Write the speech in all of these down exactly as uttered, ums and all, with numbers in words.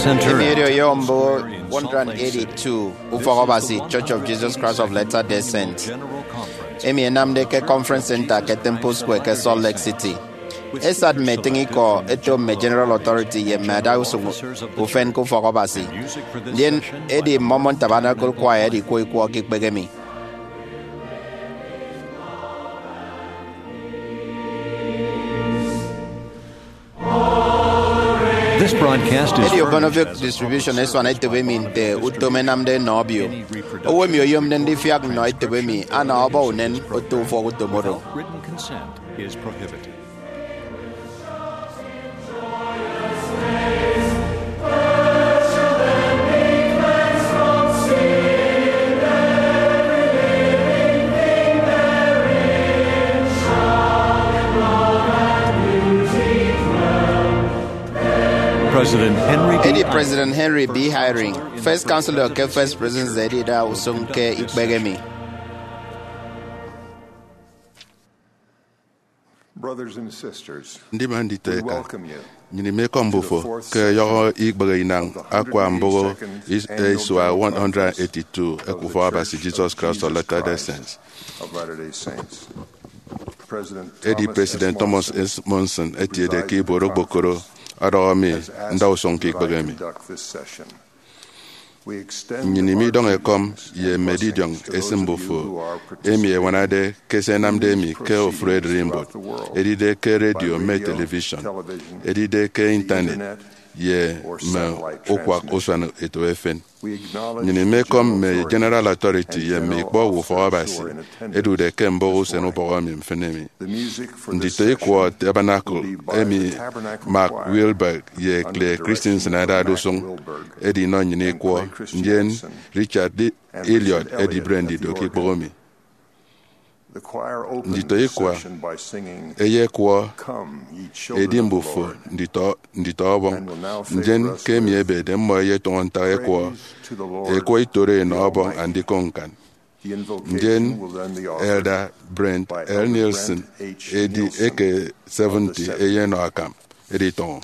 Emi edi oyombo one hundred eighty-two Ufọk Abasi Church of Jesus Christ of Latter-day Saints, emi enamde ke Conference Center ke Temple Square ke Salt Lake City. Esat mme etịñ ikọ eto mme General Authority ye mme adausụñ ufen ke ufọk Abasi, ndien edi Mormon Tabernacle Choir ẹdikwọ ikwọ ke ikpehe emi. This broadcast is Edi Obonovic Distribution esuan etop emi nte utom ẹnamde ẹnọ obio. Owo emi oyomde ndifiak nnọ etop emi ana ọbọ unen oto ufọk utom oro. Written consent is prohibited. President Henry B. Edi President Henry B. Eyring, First Counselor ke First Presidency, edida usụñ ke ikpehe emi. Brothers and sisters, Ndima nditọ we eka, welcome you nnyịn imekọm mbufo ke ọyọhọ ikpehe inañ akwa mbụho is- isua one hundred eighty-two eke Ufọk Abasi Jesus Christ of Latter-day Saints. Of Latter-day Saints. President Edi Thomas President S. Thomas S. Monson etiede ke ibuot okpokoro ọdọhọ mi ndausụñ ke ikpehe emi. Nnyịn imidọñ ekọm ye mme edidiọñ esịm mbufo emi ẹñwanade ke se ẹnamde emi ke ofụri ererimbot, edide ke redio mme television, edide ke Intanet, ye mme ukwak usuan eto efen. Nnyịn imekọm mme General Authority ye mme ikpọ owo Ufọk Abasi ẹdude ke mbụho usen ubọhọ emi mfịn emi. Nditọikwọ Tabernacle emi Mark Wilberg ye Clay Christensen adade usụñ edinọ nnyịn ikwọ, ndien Richard Elliot edibre ndido ke ikpọñ emi. Nditọikwọ ẹyekwọ, Edi mbufo nditọ, nditọ ọbọñ, ndien ke emi ebede mmọ ẹyetụñọ ntak ẹkwọ, ẹkwọ itoro ẹnọ ọbọñ andikụñ ñkan. Ndien Elder Brent L. Nielsen edi eke seventy eyenọ akam editọñọ.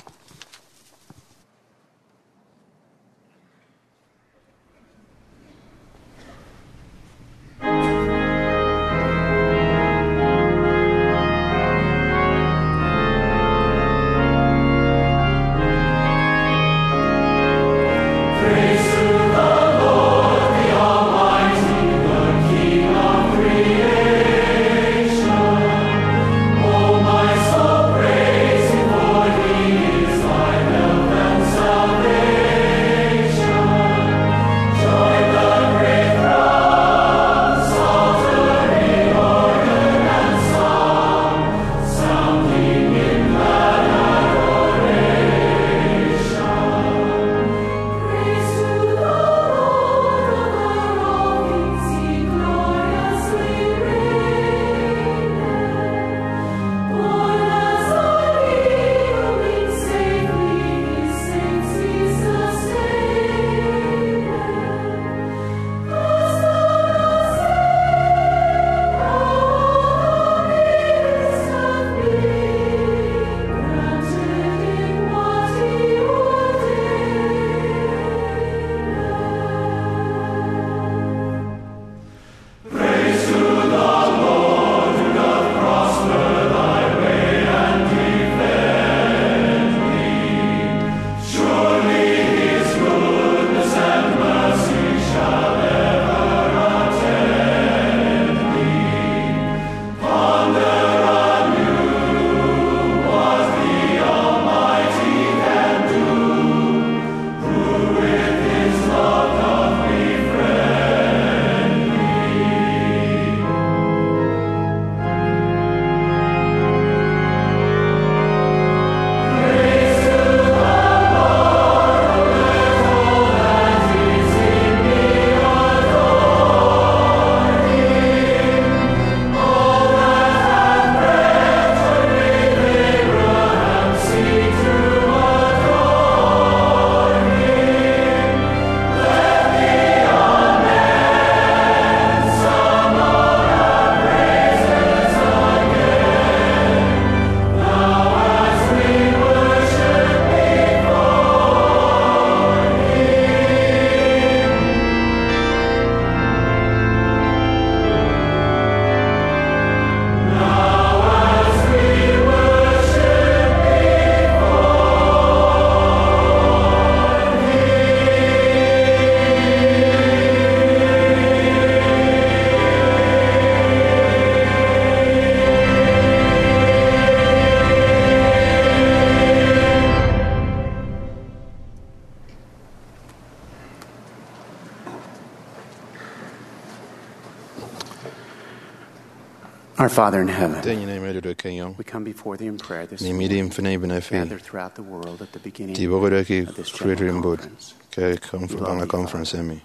Our Father in heaven, Nte enyịn emi odude ke enyọñ, we come before thee in prayer this mi midi morning, mfịna ibịne fi, gathered throughout the world at the beginning ti ibọhọde ke of this general kpri mbot conference. Ke conf-, We love baña thee, conference Father. Emi.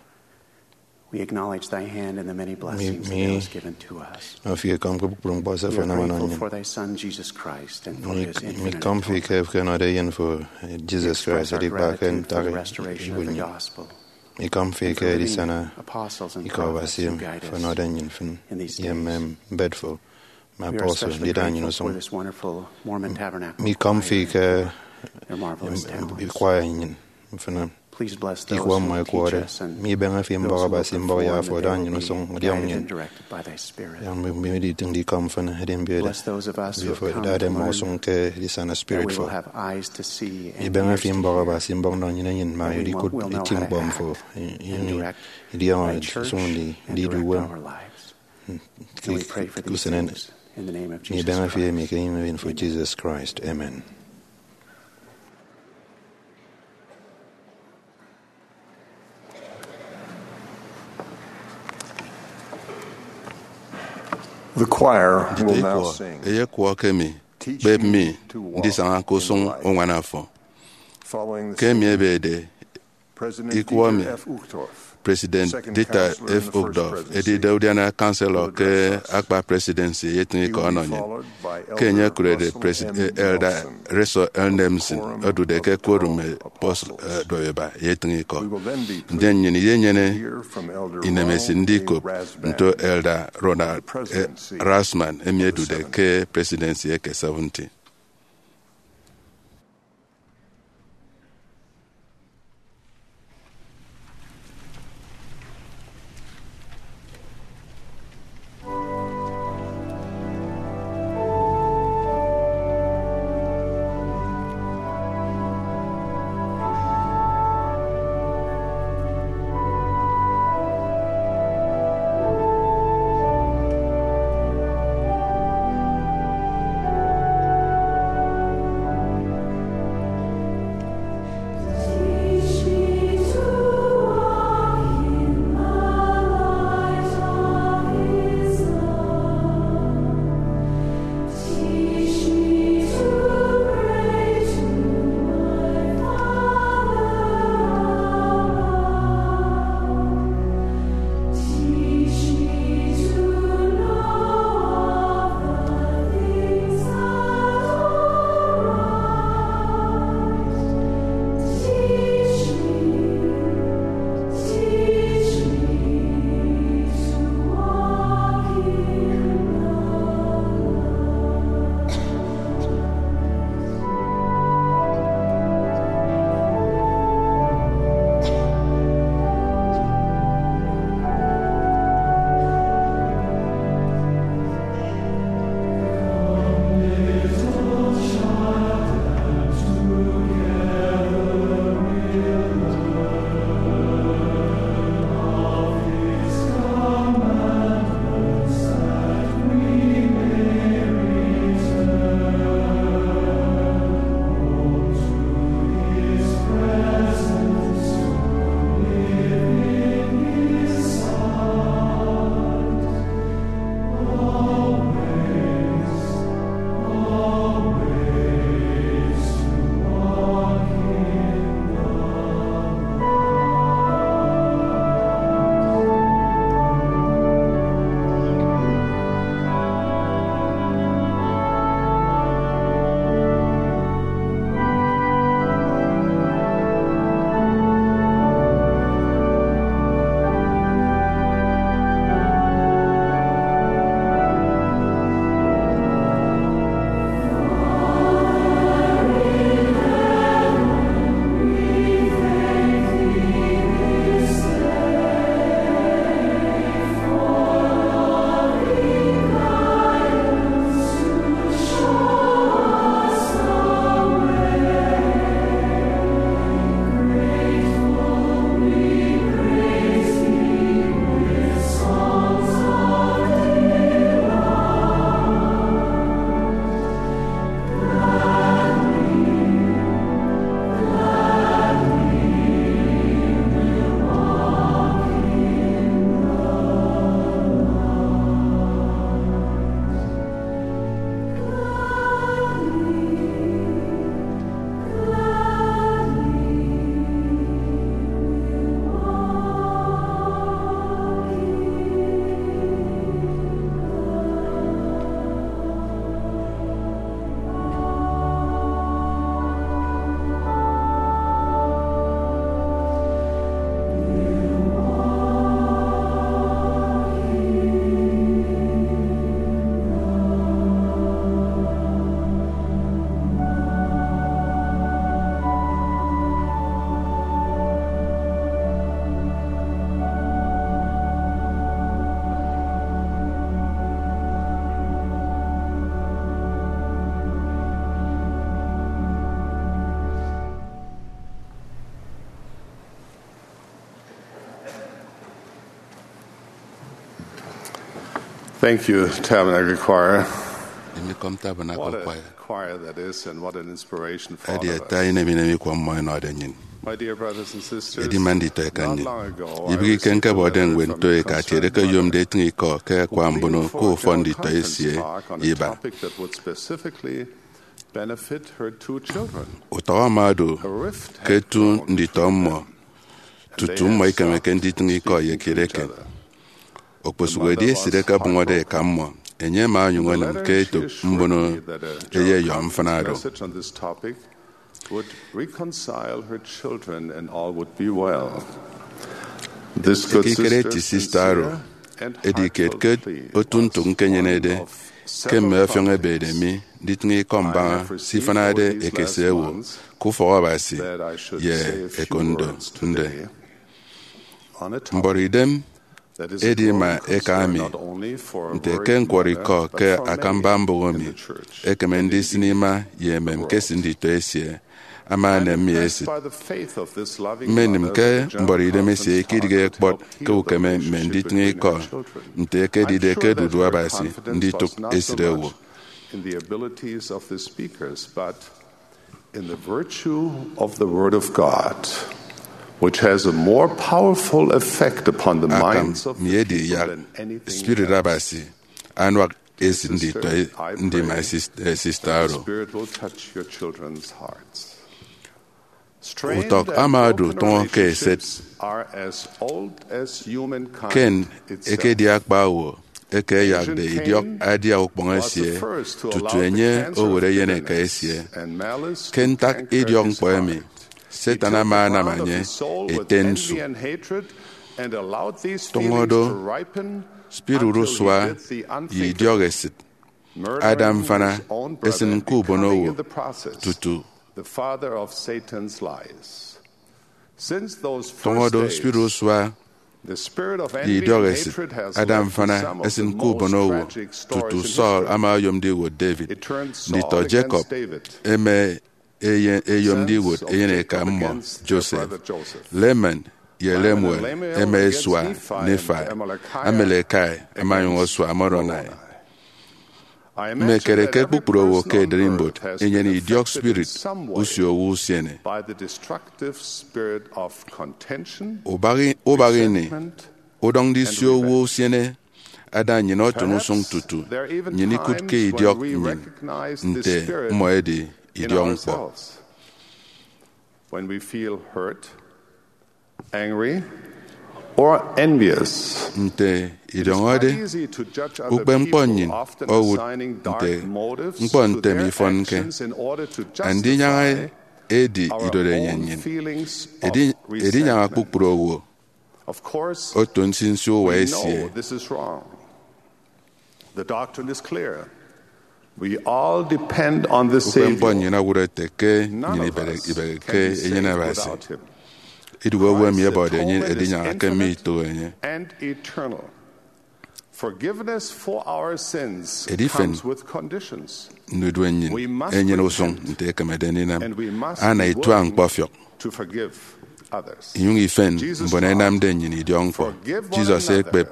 We acknowledge thy hand in the many blessings that thou hast given to us. Nọ fi ekọm ke kpukpru ñkpọ se fo anam ọnọ nnyịn. We are grateful for thy Son, Jesus Christ, and for his infinite atonement. Mi kọm fi ke ẹnọde eyen fo, eh, Jesus Christ, edikpa ke ntak ibuot nnyịn. We express our gratitude for the restoration of the gospel. Mi kọm fi ke edisana ikọ Abasi emi fo ọnọde nnyịn mfịn ye mme mbet fo, mme apostle, ndida nnyịn usụñ. Mi kọm fi ke ikwa nnyịn mfịna, ikwa mmọ ẹkwọrọde. Mi ibeñe fi mbọk Abasi mbọk ye afo ọdọ nnyịn usụñ, ọdiọñ nnyịn. Yak mi, mi iditịñde ikọ mfịn, edi mbiet, mbiet fo idade mmọ usụñ ke edisana spirit fo. Mi ibeñe fi mbọk Abasi mbọk nọ nnyịn enyịn, ma edikụt eti ñkpọ mfo, i-, ini idiọñọ usụñ ndi, ndidu uwem. Ke usen emi, mi ibeñe fi emi ke enyịñ eyen fo, Jesus Christ. Amen. The choir will now sing. Nditọ ikọ eyekwọ ke emi, Kpep Mi Ndisaña ke Usụñ Uñwana Fo. Ke emi ebede, ikọ emi President Dieter F. Uchtdorf edide udiana chancellor ke akpa presidency eyetịñ ikọ ọnọ nnyịn. Ke enye okụrede President Elder Russell L. Nelson odude ke quorum apostle, eh, ẹduọk ẹba eyetịñ ikọ. Ndien nnyịn iyenyene inemesịt ndikop nto Elder Ronald, eh, Rasman, emi edude ke presidency eke seventy. Thank you, Tabernacle Choir. Imikọm Tabernacle Choir. Choir that is, and what an inspiration for all of us. Edi ata inem inem ikọ mmọ enọde nnyịn. My dear brothers and sisters, edima nditọ eka nnyịn, ibịghike nkebọde ñwed nto eka atiede ke oyomde etịñ ikọ ke akwa mbono ke ufọn nditọ esie iba. Utọk ama odu ke etu nditọ mmọ tutu mmọ ikemeke nditịñ ikọ ye kiet eken. Okposụkedi esịt ekebụñọde eka mmọ, enye ama onyụñ onịm ke etop mbono eyeyọ mfịna oro. Ekikere eti sista oro edi kiet ke otu ntụk ñkenyenede ke mme ọfiọñ ebede mi nditịñ ikọ mbaña se ifịnade ekese owo ke ufọk Abasi ye ekondo nde. Mbọrọidem edi ima eka mi nte ke ñkwọrọ ikọ ke akamba mbụk emi ekeme ndisịn ima ye emem ke esịt nditọ esie ama enem mi esịt. Mmenịm ke mbọrọidem esie ikedịghe kpọt ke ukeme mme nditịñ ikọ nte ekedide ke ẹdudu Abasi nditụk esịt owo. In the virtue of the Word of God, which has a more powerful effect upon the minds of the people than anything else. Akam mi edi yak Spirit Abasi anuak esịt nditọ ndima sista oro. Utọk ama odu tụñọ ke eset. Cain ekedi akpa owo eke ẹyakde idiọk adia ukpọñ esie tutu enye owot eyeneka esie. Ke ntak idiọk ñkpọ emi, Satan ama anam enye ete nsu. Tụñọ do, spirit urusua ye idiọk esịt ada mfana esịn ke ubonowo tutu. Tụñọ do, spirit usua ye idiọk esịt ada mfana esịn ke ubonowo tutu Saul ama oyomde iwot David. Nditọ Jacob eme eye- eyomde iwot eyeneka mmọ Joseph. Laman ye Lemuel ema esua Nephi. Amalekai ama onyụñ osua Moroni. Mmekere ke kpukpru owo ke ererimbot enyene idiọk spirit usio owo usiene. Ubak i- ubak ini udọñ ndisio owo usiene ada nnyịn otụn usụñ tutu nnyịn ikụt ke idiọk nnyịn nte mmọ edi idiọk ñkpọ. When we feel hurt, angry, or envious, nte idiọñọde ukpepñkpọ nnyịn owụt nte ñkpọ ntem ifọnke. Andinyaña edi idorenyin nnyịn. Edi- edinyaña kpukpru owo oto nsinsi uwa esie. Ukpepñkpọ nnyịn owụt ete ke nnyịn ibere- ibegheke enyịn Abasi. Idụhe owo emi ẹbọde enyịn edinyaña ke mme ito enye. Edifen ndudue nnyịn enyene usụñ nte ekemede ndinam. Ana itua ñkpọfiọk inyụñ ifen mbon ẹnamde nnyịn idiọk ñkpọ. Jesus ekpep,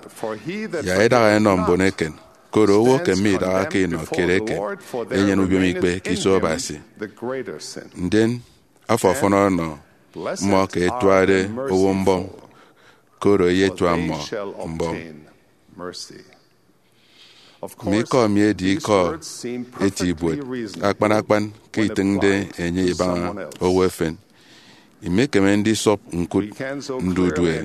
yak idaha ẹnọ mbon eken, koro owo ke midahake inọ kiet eken enyene ubiomikpe ke iso Abasi. Ndien afo ọfọn ọnọ mmọ ke ẹtuade owo mbọm, koro eyetua mmọ mbọm. Mme ikọ mi edi ikọ eti ibuot akpan akpan ke itịñde enye ibaña owo efen. Imekeme ndisọp ñkụt ndudue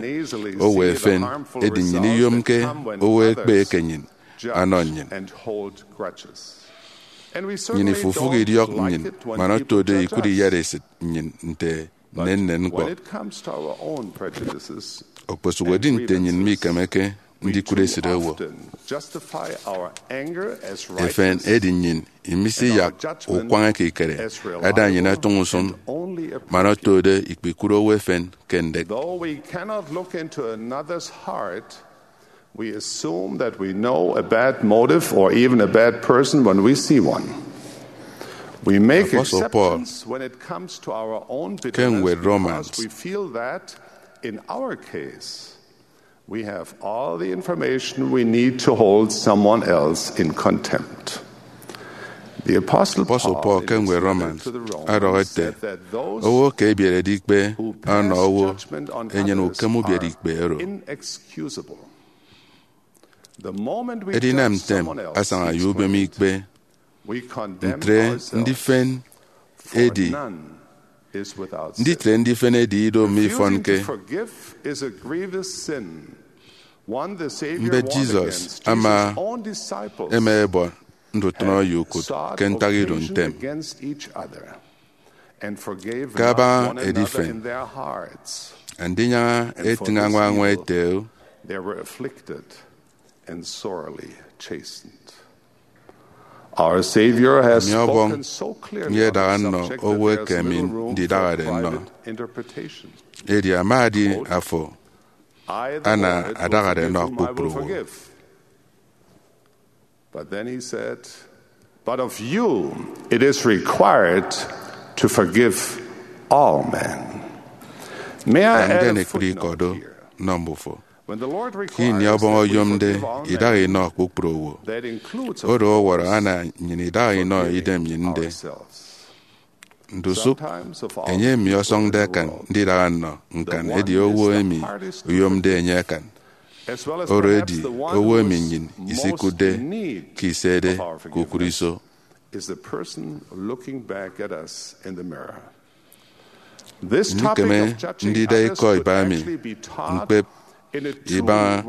owo efen, edi nnyịn iyomke owo ekpe ke nnyịn anọ nnyịn. Nnyịn ifufụk idiọk nnyịn man otode ikụt iyatesịt nnyịn nte nnennen ñkpọ. Okposụkedi nte nnyịn mikemeke ndikụt esịt owo, efen edi nnyịn imisiyak ukwañ ekikere ada nnyịn etụñ usụñ man otode ikpikụt owo efen ke ndek. Though we cannot look into another's heart, we assume that we know a bad motive or even a bad person when we see one. We make Apostle Paul, exceptions when it comes to our own bitterness, ke ñwed Romans, because we feel that, in our case, We have all the information we need to hold someone else in contempt. The Apostle Apostle Paul Paul ke in his ñwed letter Romans to the Romans ọdọhọ ete, said that those owo ke ebierede ikpe who ọnọ pass owo judgment on enyene others ukem ubiere are ikpe oro. Inexcusable. The moment we Edinam judge ntem someone else, asaña ye ubem ikpe, we condemn ntre ourselves, ndifen for edi none is without sin. Nditre ndifen edi ido mme ifọn Refusing to ke forgive is a grievous sin, one the Savior Mbet warned Jesus against to ama his own disciples eme ebọ ndutnọ ye ukut ke ntak ido ntem. Against each other, and forgave Ke abaña not one another edifen, in their hearts. Andinyaña etịñ añwa añwa ete, they were afflicted and sorely chastened. Our Savior has Emi ọbọñ spoken so clearly on the subject that there is little room for private interpretation. Edi ama adi afo ana adagade nọ kpukpru owo. But then he said, "But of you it is required to forgive all men." May I add a footnote here? Nọ mbufo. Ke ini ọbọñ oyomde idaha inọ kpukpru owo, oro ọwọrọ ana nnyịn idaha inọ idem nnyịn nde. Ndusụk, enye emi ọsọñde akan ndidaha nnọ ñkan edi owo emi oyomde enye akan, oro edi owo emi nnyịn isikụtde ke isede kpukpru iso. Is the person looking back at us in the mirror. Ndikeme ndida ikọ iba mi ñkpep ibaña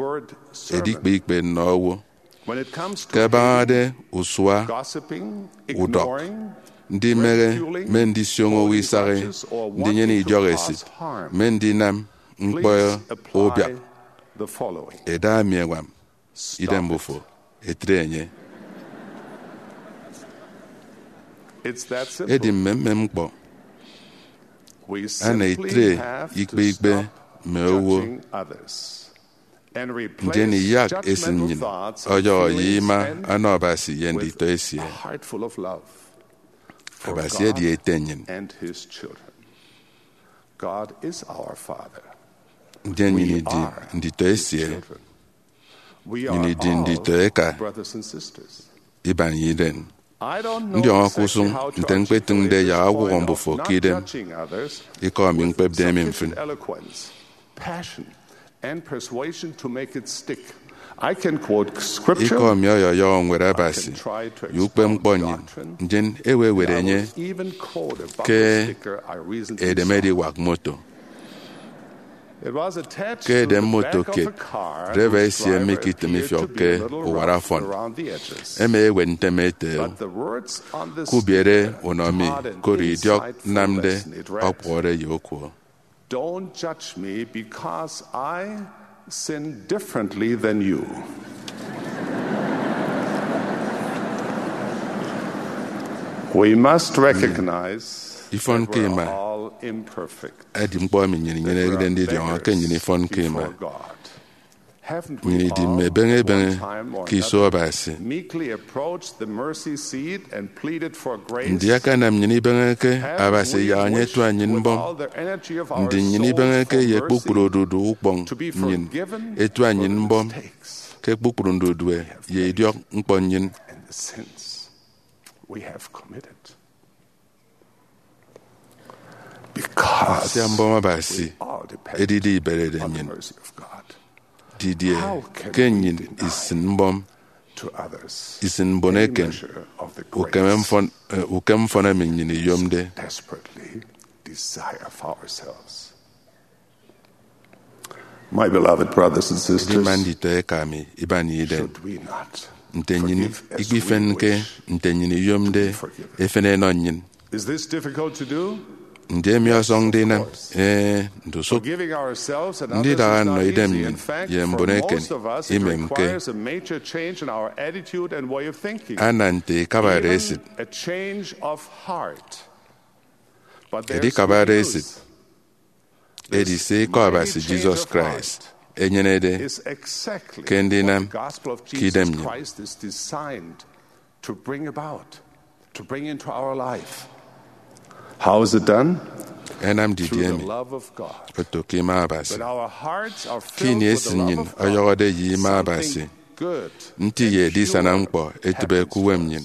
edikpe ikpe nnọ owo. Ke abañade usua, udọk, ndimehe, mme ndisioño owo isahi, ndinyene idiọk esit, mme ndinam ñkpọ ubiak, eda mi ẹñwam idem mbufo, etre enye. Edi mmemmem ñkpọ ana itre ikpe ikpe mme owo, ndien iyak esịm nnyịn ọyọhọ ye ima ọnọ Abasi ye nditọ esie. Abasi edi Ete nnyịn. Ndien nnyịn idi nditọ esie. Nnyịn idi nditọ eka iban ye iren. Ndiọñọ ke usụñ nte ñkpetịñde yak ọwọhọ mbufo ke idem. Ikọ mi ñkpepde emi mfịn. Ikọ mi ọyọyọhọ Ñwed Abasi ye ukpepñkpọ nnyịn, ndien ewe ewet enye ke edem ediwak moto? Ke edem moto kiet, draiva esie mme ikitịm ifiọk ke uwara fọn. Ema ewet ntem ete, "Kubiere unọ mi, koro idiọk nnamde ọkpọhọde ye okuo." Don't judge me because I sin differently than you. We must recognize that we're all imperfect. Edi ñkpọ emi nnyịn inyenede ndidiọñọ ke nnyịn ifọnke ima. Nnyịn idi mme ebeñe ebeñe ke iso Abasi. Ndi akanam nnyịn ibeñe ke Abasi yak enye etua nnyịn mbọm? Ndi nnyịn ibeñeke ye kpukpru odudu ukpọñ nnyịn etua nnyịn mbọm ke kpukpru ndudue ye idiọk ñkpọ nnyịn? Nsia mbọm Abasi edide iberede nnyịn, didie ke nnyịn isịn mbọm isịn mbon eken ukem mfọn, eh, ukem mfọn emi nnyịn iyomde? My beloved brothers and sisters, Edima nditọ eka mi iban ye idem, should we not nte nnyịn forgive as we ikpifenke wish nte nnyịn iyomde to be forgiven? Efen enọ nnyịn. Is this difficult to do? Ndi emi ọsọñde inam? Ee, ndusụk. Forgiving ourselves and others is not easy. In fact, for most of us, it requires a major change in our attitude and way of thinking. Ana nte ikabade esịt. Even a change of heart. But there's good news. Edikabade esịt edi se Ikọ Abasi Jesus Christ enyenede ke ndinam ke idem nnyịn. How is it done? Ẹnam didie emi? Oto ke ima Abasi. Ke ini esi nnyịn ọyọhọde ye ima Abasi, nti ye edisana ñkpọ etịbe ke uwem nnyịn.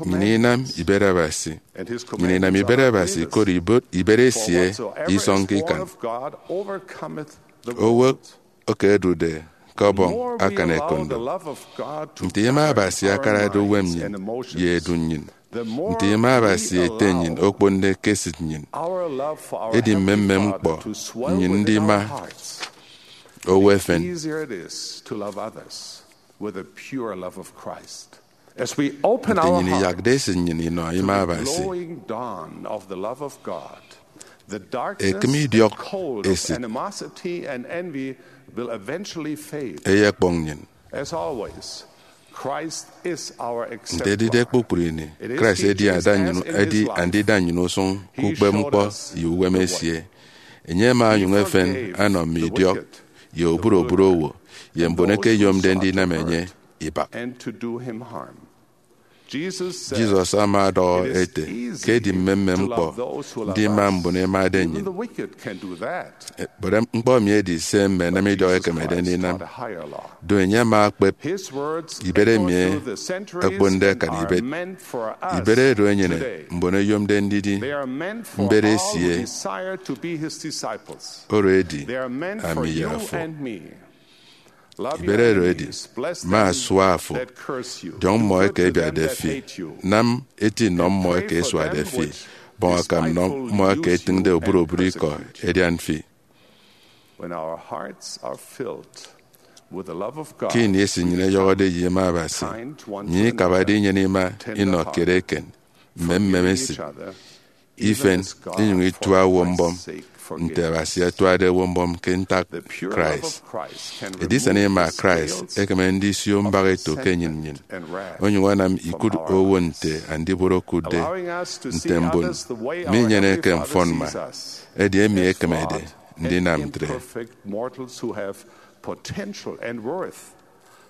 Nnyịn inam ibet Abasi. Nnyịn inam ibet Abasi koro ibot-, ibet esie isọñke ikan. Owo eke ẹdude ke Ọbọñ akan ekondo. Nte ima Abasi akarade uwem nnyịn ye edu nnyịn, nte ima Abasi Ete nnyịn okponde ke esịt nnyịn, edi mmemmem ñkpọ nnyịn ndima owo efen. Nte nnyịn iyakde esịt nnyịn inọ ima Abasi, ekịm idiọk esịt eyekpọñ nnyịn. Nte edide kpukpru ini, Christ edi ada nnyịn, edi andida nnyịn usụñ ke ukpepñkpọ ye uwem esie. Enye ama onyụñ efen anọ mme idiọk ye oburobụrụ owo ye mbon eke ẹyomde ndinam enye ibak. Jesus ama ọdọhọ ete ke edi mmemmem ñkpọ ndima mbon ẹmade nnyịn. But ñkpọ emi edi se mme ẹnam idiọk ẹkemede ndinam. Do enye ama ekpep ibet emi ẹkponde akan ibet. Ibet oro enyene mbon ẹyomde ndidi mbet esie. Oro edi ami ye afo. Ibet oro edi, ma asua afo, diọñ mmọ eke ẹbiatde fi, nam eti nọ mmọ eke ẹsuade fi, bọñ akam nọ mmọ eke ẹtịñde oburobụrụ ikọ ẹdian fi. Ke ini esi nnyịn eyọhọde ye ima Abasi, nnyịn ikabade inyene ima inọ kiet eken, mme mmem esịt, ifen, inyụñ itua owo mbọm nte Abasi atuade owo mbọm ke ntak Christ. Edisana ima Christ ekeme ndisio mbak eto ke enyịn nnyịn, onyụñ anam ikụt owo nte Andibot okụtde, nte mbon minyeneke mfọnmma, edi emi ekemede ndinam ntre.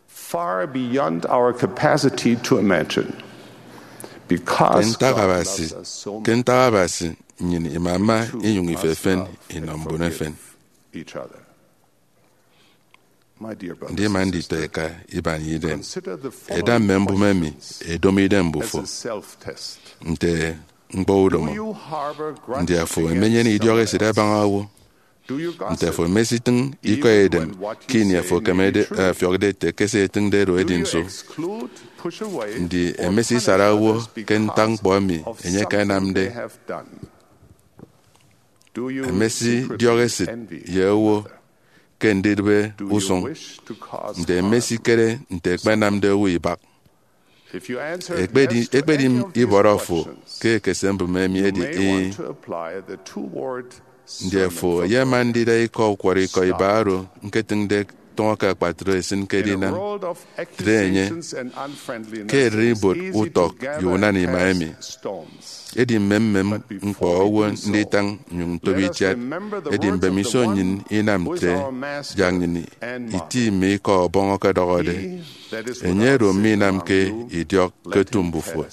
Far beyond our capacity to imagine. Ke ntak Abasi, ke ntak Abasi, nnyịn imama inyụñ ifefen inọ mbon efen. Ndima nditọ eka iban idem, eda mme mbụme emi, edomo idem mbufo nte ñkpọ udomo. Ndi afo emenyene idiọk esịt abaña owo? Nte afo emesitịñ ikọ edem ke ini afo ekemede, eh, ọfiọkde ete ke se etịñde oro edi nso? Ndi emesisara owo ke ntak ñkpọ emi enye akanamde? Emesidiọk esịt ye owo ke ndidịbe usụñ? Nte emesikere nte ẹkpenamde owo ibak? Ekpedi, ekpedi ibọrọ fo ke ekese mbụme emi edi ii. Ndi afo eyema ndida ikọ ukwọrọikọ iba oro ñketịñde tọñọ ke akpatre esịn ke edinam? Tre enye. Ke ererimbot utọk ye unana ima emi, edi mmemmem ñkpọ owo nditañ nnyụñ ntobo itiat. Edi mbemiso nnyịn inam ntre, yak nnyịn iti mme ikọ Ọbọñ ọkọdọhọde, enye oro minamke idiọk ke otu mbufo,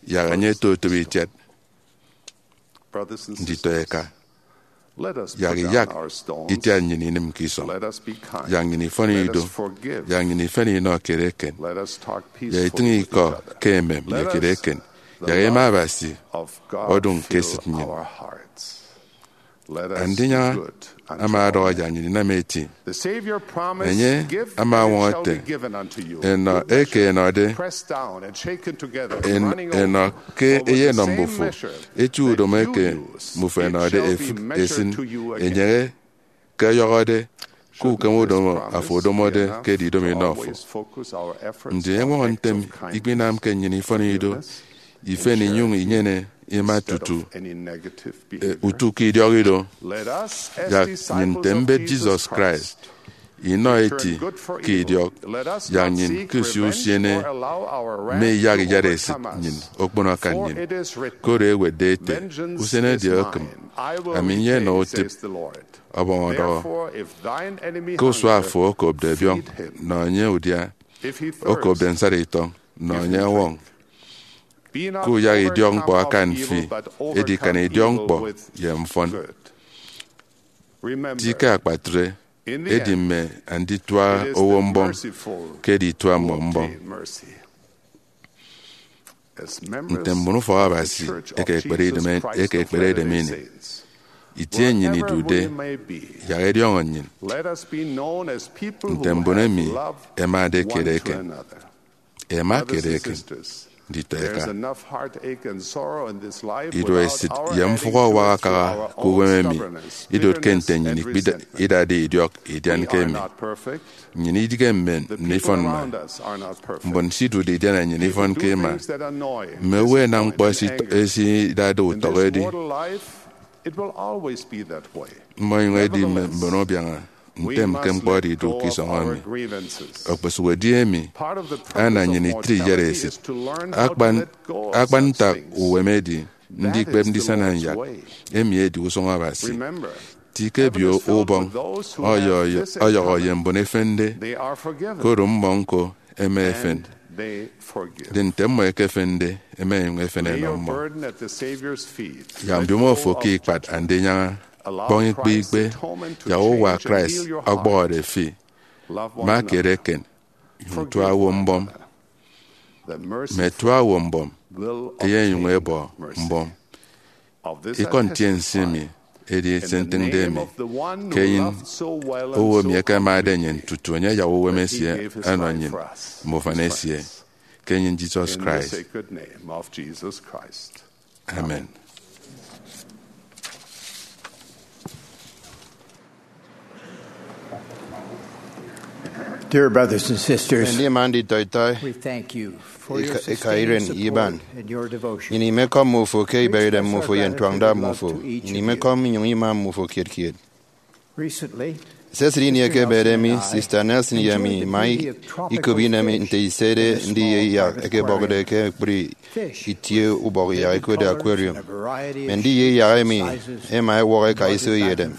yak enye ototobo itiat. Nditọ eka, yak iyak itiat nnyịn inịm ke isọñ. Yak nnyịn ifọn ido. Yak nnyịn ifen inọ kiet eken. Yak itịñ ikọ ke emem ye kiet eken. Yak ima Abasi ọdụñ ke esịt nnyịn. Andinyaña ama ọdọhọ yak nnyịn inam eti. Enye ama ọñwọñọ ete, enọ eke enọde, en-, enọ ke eyenọ mbufo, eti udomo eke mbufo ẹnọde efịk esịn, enyeñe ke ọyọhọde ke ukem udomo afo odomode ke edidomo inọ fo. Ndi eñwọñọ ntem ikpinamke nnyịn ifọn ido, ifen inyụñ inyene ima tutu, eh, utu ke idiọk ido? Yak nnyịn nte mbet Jesus Christ inọ eti ke idiọk. Yak nnyịn ke usio usiene mme iyak iyat esịt nnyịn okpono akan nnyịn. Koro ewetde ete, usen edieke okịm, ami nyenọ utịp. Ọbọñ ọdọhọ, ke usua fo okopde biọñ, nọ enye udia, okopde nsat itọñ, nọ enye ọwọñ. Kuyak idiọkñkpọ akan fi, edi kan idiọkñkpọ ye mfọn. Ti ke akpatre, edi mme anditua owo mbọm ke editua mmọ mbọm. Nte mbon ufọk Abasi eke ekpere idem, eke ekpere idem ini, itie nnyin idude, yak ẹdiọñọ nnyin nte mbon emi ẹmade kiet eken. Ẹma kiet eken nditọ ẹkan. Ido esịt ye mfụhọ awak akaha ke uwem emi idotke nte nnyịn ikpida-, idade idiọk idianke emi. Nnyịn idige mme nnọ ifọn mma. Mbon se idude idiana nnyịn ifọn ke ima. Mme owo ẹnam ñkpọ esit-, esidade utọk edi. Mmọ inyụñ ẹdi mme mbon ubiaña. Ntem ke ñkpọ oro idu ke isọñ emi. Okposụkedi emi ana nnyịn itre iyat esịt. Akpan, akpan ntak uwem edi ndikpep ndisana nyak. Emi edi usụñ Abasi. Ti ke ebio ubọñ ọyọ-, ọyọhọ ye mbon efende, koro mmọ ñko ẹma ẹfen. Ndi nte mmọ ẹkefende, ẹma ẹnyụñ ẹfen ẹnọ mmọ. Yak mbiomo fo ke ikpat Andinyaña, kpọñ ikpe ikpe, yak uwa Christ ọkpọhọde fi. Ma kiet eken, nyụñ tua owo mbọm. Mme tua owo mbọm, eyenyụñ ebọ mbọm. Ikọ ntiense mi edi se ntịñde emi, ke enyịn owo emi ẹkemade nnyịn tutu enye ayak uwem esie ọnọ nnyịn mme ufan esie, ke enyịn Jesus Christ. Amen. Dear brothers and sisters, Ndima nditọitọi, we thank you for your ika, ika iren sustained iban. Support and your devotion. Nnyịn imekọm mmufo ke iberedem mmufo ye ntụañda mmufo. Nnyịn imekọm inyụñ ima mmufo kiet kiet. Recently, Sesịt ini ekebede mi, Sister Nelson ye mi ima ikop inem nte isede ndiye iyak eke ẹbọkde ke ekpri itie ubọk iyak ẹkotde aquarium. Mme ndiye iyak emi ẹma ẹwọk ẹka iso ye edem.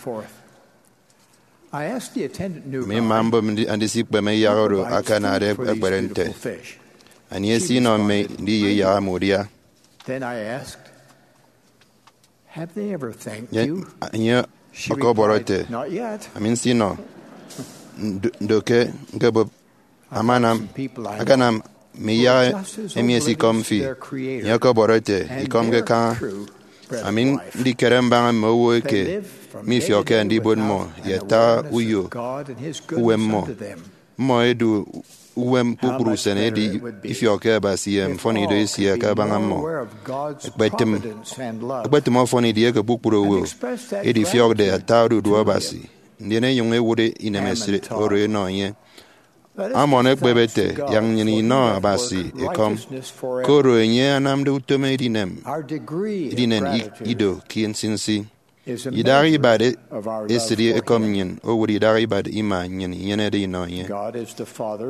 Mme ima mbọm ndi-, andisikpeme iyak oro akanade ẹkpere nte, anie esinọ mme ndiye iyak emi udia? Enye ọkọbọrọ ete, ami nsinọ, ndo, ndo ke ñkebụp. Amanam, akanam mme iyak emi esikọm fi. Enye ọkọbọrọ ete, ikọmke kaña. Ami ndikere mbaña mme owo eke mifiọkke ndibot mmọ ye ata uyo uwem mmọ. Mmọ ẹdu uwem kpukpru usen, edi ifiọkke Abasi ye mfọnido esie kabaña mmọ. Ẹkpetịm, ẹkpetịm ọfọn edieke kpukpru owo edifiọkde ata odudu Abasi, ndien ẹnyụñ ẹwụt inemesịt oro ẹnọ enye. Amon ekpep ete, yak nnyịn inọ Abasi ekọm, koro enye anamde utom edinem, edinen i-, ido ke nsinsi. Idaha ibat e-, esịt ekọm nnyịn owụt idaha ibat ima nnyịn inyenede inọ enye.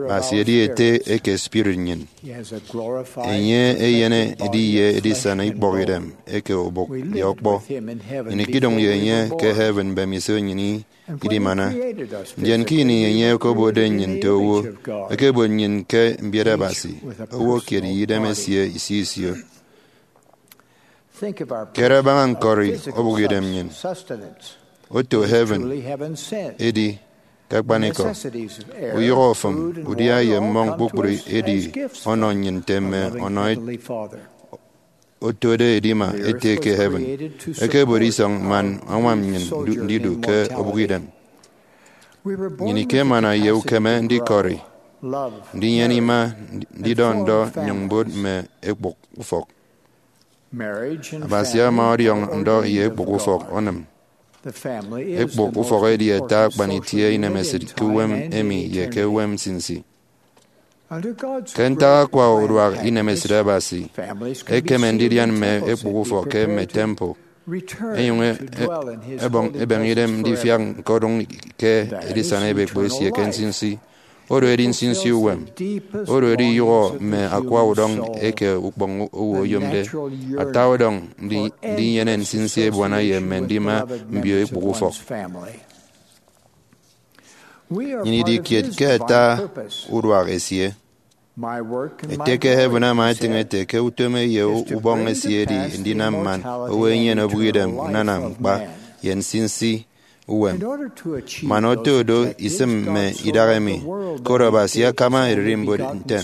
Abasi edi Ete eke spirit nnyịn. Enye enyene ediye edisana ikpọkidem eke obụk ye ọkpọ. Nnyịn ikidụñ ye enye ke heaven mbemiso nnyịn i-, idimana. Ndien ke ini enye okobotde nnyịn nte owo, ekebot nnyịn ke mbiet Abasi, owo kiet ye idem esie isio isio. Kere baña ñkọri obụkidem nnyịn. Oto heaven edi ke akpanikọ. Uyụhọ ofụm, udia ye mmọñ kpukpru edi ọnọ nnyịn nte mme ọnọ otode edima Ete ke heaven. Ekebot isọñ man añwam nnyịn ndu-, ndidu ke obụkidem. Nnyịn ikemana ye ukeme ndikọri, ndinyene ima, ndidọ ndọ nnyụñ mbot mme ekpụk ufọk. Abasi ama ọdiọñ ndọ ye ekpụk ufọk onịm. Ekpụk ufọk edi ata akpan itie inemesịt ke uwem emi ye ke uwem nsinsi. Ke ntak akwa uduak inemesịt Abasi, ekeme ndidian mme ekpụk ufọk ke mme temple, ẹnyụñ e-, e-, ẹbọñ, ẹbọñ idem ndifiak ñkodụñ ke edisana ebekpo esie ke nsinsi. Oro edi nsinsi uwem. Oro edi iyụhọ mme akwa udọñ eke ukpọñ owo oyomde. Ata udọñ ndi-, ndinyene nsinsi ebuana ye mme ndima mbio ekpụk ufọk. Nnyịn idi kiet ke ata uduak esie. Ete ke heaven ama etịñ ete ke utom ye ubọñ esie edi ndinam man owo enyene obụkidem unana ñkpa ye nsinsi uwem. Man oto do, isịm mme idaha emi, koro Abasi akama ererimbot ntem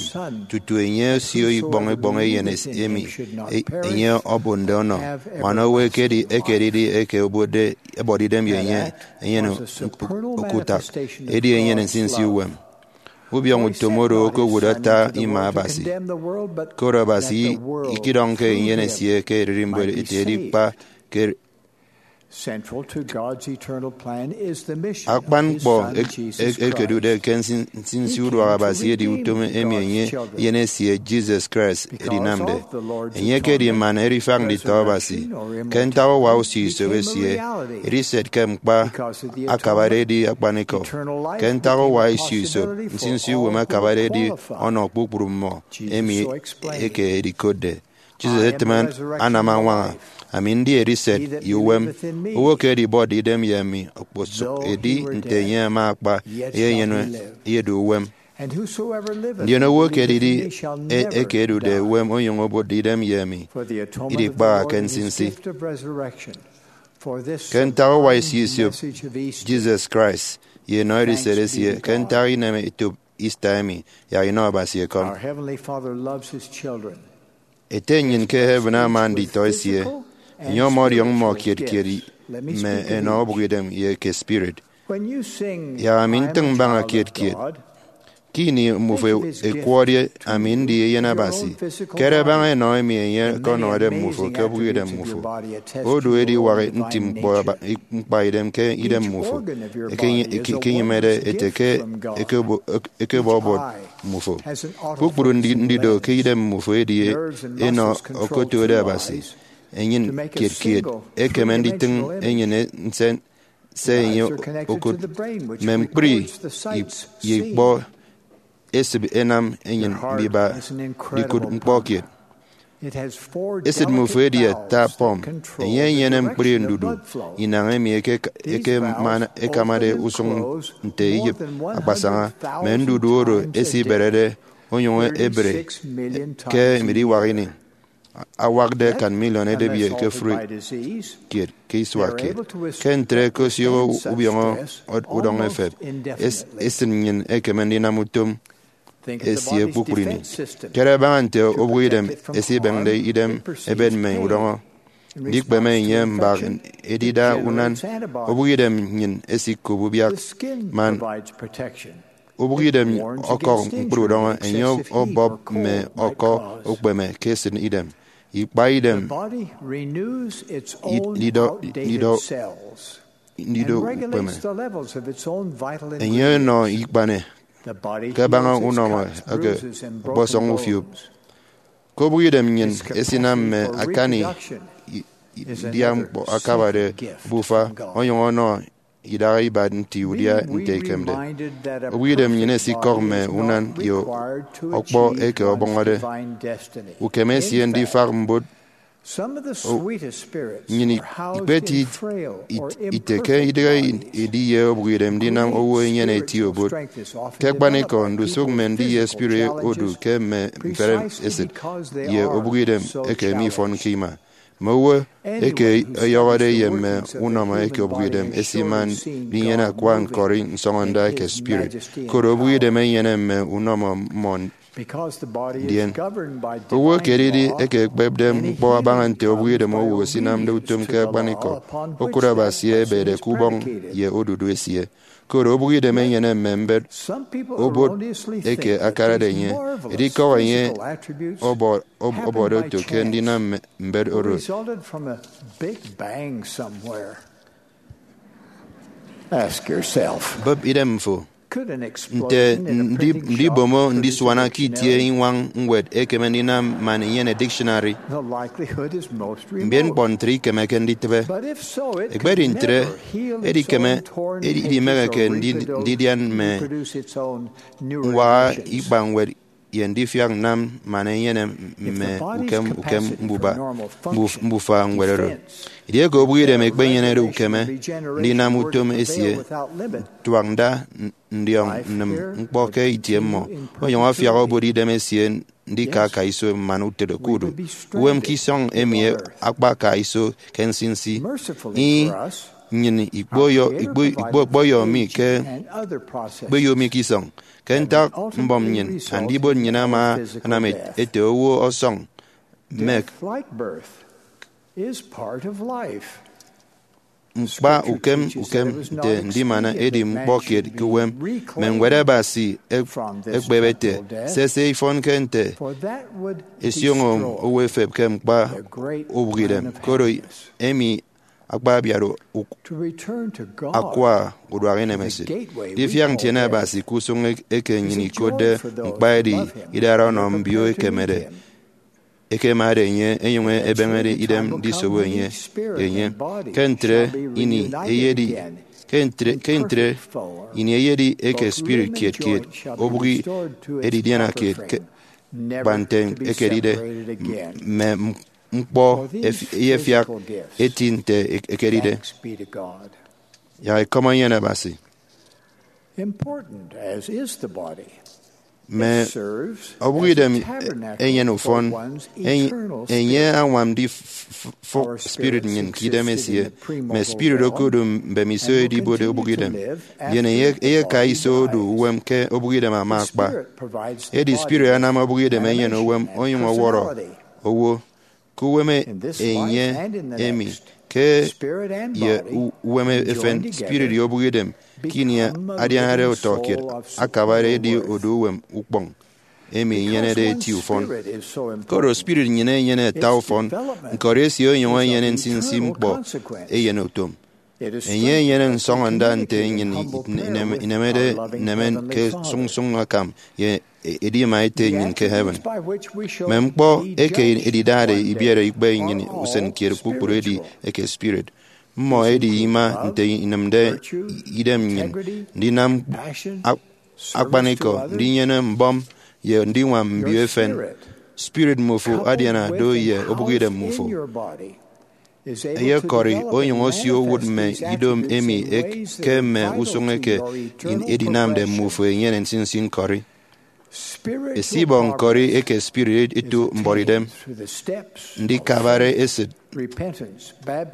tutu enye osio ikpọñ ikpọñ eyen emi enye obonde ọnọ man owo eke ekedide eke ẹbọde idem ye enye enyene okutak, edi enyene nsinsi uwem. Ubiọñọ utom oro okowụt ata ima Abasi, koro Abasi ikidọñke eyen esie ke ererimbot ete edi kpa ke akpan ñkpọ ekedude ke nsinsi uduak Abasi edi utom emi enye eyen esie Jesus Christ edinamde. Enye ekedi man erifak nditọ Abasi. Ke ntak uwa usio isop esie, ediset ke ñkpa akabade edi akpanikọ. Ke ntak uwa isio isop, nsinsi uwem akabade edi ọnọ kpukpru mmọ emi eke edikotde. Jesus etịm anam añwaña, "Ami ndi ediset ye uwem. Owo ke edibọtde idem ye ami okposụk edi nte enye ama akpa, eyenyene, eyedu uwem. Ndien owo ke edidi eke edude uwem onyụñ obotde idem ye ami, idikpaha ke nsinsi." Ke ntak uwa isio isop Jesus Christ ye enọ ediset esie, ke ntak ineme etop Easter emi, yak inọ Abasi ekọm. Ete nnyịn ke heaven ama nditọ esie. Enye ọmọdiọñ mmọ kiet kiet mme enọ obụkidem ye eke spirit. Yak ami ntịñ mbaña kiet kiet. Ke ini mmufo ẹkwọde ami ndi eyen Abasi, kere baña enọ emi enye ọkọnọde mmufo ke obụkidem mmufo. Odu ediwak nti ñkpa idem ke idem mmufo, ekenyịmede ete ke ekebọbot mmufo. Kpukpru ndido ke idem mmufo edi enọ okotode Abasi. Enyịn kiet kiet ekeme nditịñ enyịn nsen se enye okụt. Mme ñkpri ye ikpọ esịt ẹnam enyịn mbiba ndikụt ñkpọ kiet. Esịt mmufo edi ata pump. Enye enyene ñkpri ndudu inañ emi ekamade usụñ nte iyịp akpasaña, mme ndudu oro esiberede onyụñ ebre ke ediwak ini. Awakde akan miliọn edịbi ekefri kiet ke isua kiet. Ke ntre, ke osioho ubiọñọ udọñ efep, esịt nnyịn ekeme ndinam utom esie kpukpru ini. Kere baña nte obụkidem esibịñde idem ebet mme udọñọ. Ndikpeme enye mbak edida unan. Obụkidem nnyịn esikop ubiak man obụkidem ọkọk ñkpri udọñọ, enye ọbọp mme ọkọ ukpeme ke esịt idem, ikpa idem, ido, ido, ndido ukpeme. Enye ọnọ ikpane kabaña unọmọ eke ọkpọsọñ ufiop. Ke obụkidem nnyịn esinam mme akani idia ñkpọ akabade obufa, onyụñ ọnọ idaha ibat nti udia nte ikemde. Obụkidem nnyịn esikọk mme unan ye ọkpọ eke ọbọñọde ukeme esie ndifak mbot. Nnyịn ikpeti ite ke idịghe edi ye obụkidem ndinam owo enyene eti obot. Ke akpanikọ, ndusụk mme ndi ye spirit odu ke mme mfere esịt ye obụkidem eke mifọnke ima. Mme owo eke ọyọhọde ye mme unọmọ eke obụkidem esima ndinyene akwa ñkọri nsọñọnda eke spirit, koro obụkidem enyene mme unọmọ mmọ. Ndien, owo eke edidi eke ekpepde ñkpọ abaña nte obụkidem owo esinamde utom ke akpanikọ, okụt Abasi ebede ke ubọñ ye odudu esie. Koro obụkidem enyene mme mbet obot eke akarade enye, edikọk enye ọbọ-, ọb-, ọbọde oto ke ndinam mme mbet oro. Bụp idem fo. Nte ndi-, ndibomo ndisuana ke itie iñwañ ñwed ekeme ndinam man inyene dictionary? Mbien ñkpọ ntre ikemeke nditịbe. Ekpedi ntre, edikeme, edi-, idimeheke ndi-, ndidian mme ñwaha ikpañwed ye ndifiak nnam man enyene mme ukem ukem mbuba mbuf- mbufa ñwed oro. Edieke obụk idem ekpenyenede ukeme ndinam utom esie, tuak nda ndiọñ nnịm ñkpọ ke itie mmọ, onyụñ afiak obot idem esie ndika aka iso man utịt okudu uwem ke isọñ emi akpa aka iso ke nsinsi. Ih, nnyịn ikpoyo- ikpo- ikpokpoyo mi ke ikpoyo mi ke isọñ. Ke ntak mbọm nnyịn, Andibot nnyịn ama anam et- ete owo ọsọñ mek. Death, like birth, is part of life. Ñkpa ukem ukem nte ndimana edi ñkpọ kiet ke uwem. Mme Ñwed Abasi ek- ekpep ete, sese ifọnke nte esioño owo efep ke ñkpa ubụk idem, koro emi akpa abiat u- akwa uduak inemesịt. Difiak ntiene Abasi ke usụñ eke nnyịn ikotde ñkpa edi idara ọnọ mbio ekemede ekemade enye, enyụñ ebeñede idem ndisobo enye. Enye ke ntre ini eyedi ke ntre ke ntre ini eyedi eke spirit kiet kiet, obụk edidiana kiet ke kpa nte ekedide, mme ñkpọ eyefiak eti nte ekedide. Yak ekọm enyene Abasi. Important as is the body, mme obụk idem enyene ufọn. Enye añwam ndifụk spirit nnyịn ke idem esie. Mme spirit okodu mbemiso edibode obụk idem, ndien eyeka iso odu uwem ke obụk idem ama akpa. Edi spirit anam obụk idem enyene uwem onyụñ ọwọrọ owo ke uwem enye emi ke ye uwem efen. Spirit ye obụk idem ke ini adianade utọ kiet akabade edi odu uwem ukpọñ emi enyenede eti ufọn. Koro spirit nnyịn enyene ata ufọn, ñkọri esie onyụñ enyene nsinsi ñkpọ eyen utom. Enye enyene nsọñọnda nte nnyịn inemede nneme ke sụñsụñ akam ye edima ete nnyịn ke heaven. Mme ñkpọ eke edidade ibiere ikpe nnyịn usen kiet kpukpru edi eke spirit. Mmọ edi ima nte inịmde idem nnyịn, ndinam akpanikọ, ndinyene mbọm, ye ndiñwam mbio efen. Spirit mmufo adiana do ye obụk idem mmufo. Eyekọri onyụñ osio owụt mme ido emi ke mme usụñ eke edinamde mmufo enyene nsinsi ñkọri. Esibọ ñkọri eke spirit eto mbuọtidem, ndikabare esịt,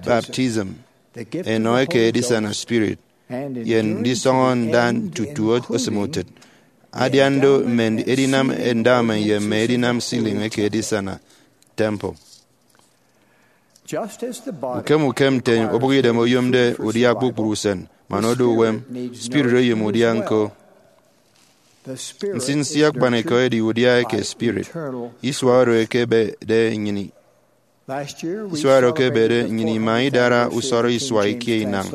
baptism, enọ eke edisana spirit, ye ndisọñọ nda tutu osịm utịt. Adian do mme edinam endowment ye mme edinam sealing eke edisana temple. Ukem ukem nte obụk idem oyomde udia kpukpru usen man odu uwem, spirit oyom udia ñko. Nsinsi akpanikọ edi udia eke spirit. Isua oro ekebede nnyịn Isua oro ekebede, nnyịn ima idara usọrọ isua ikie inañ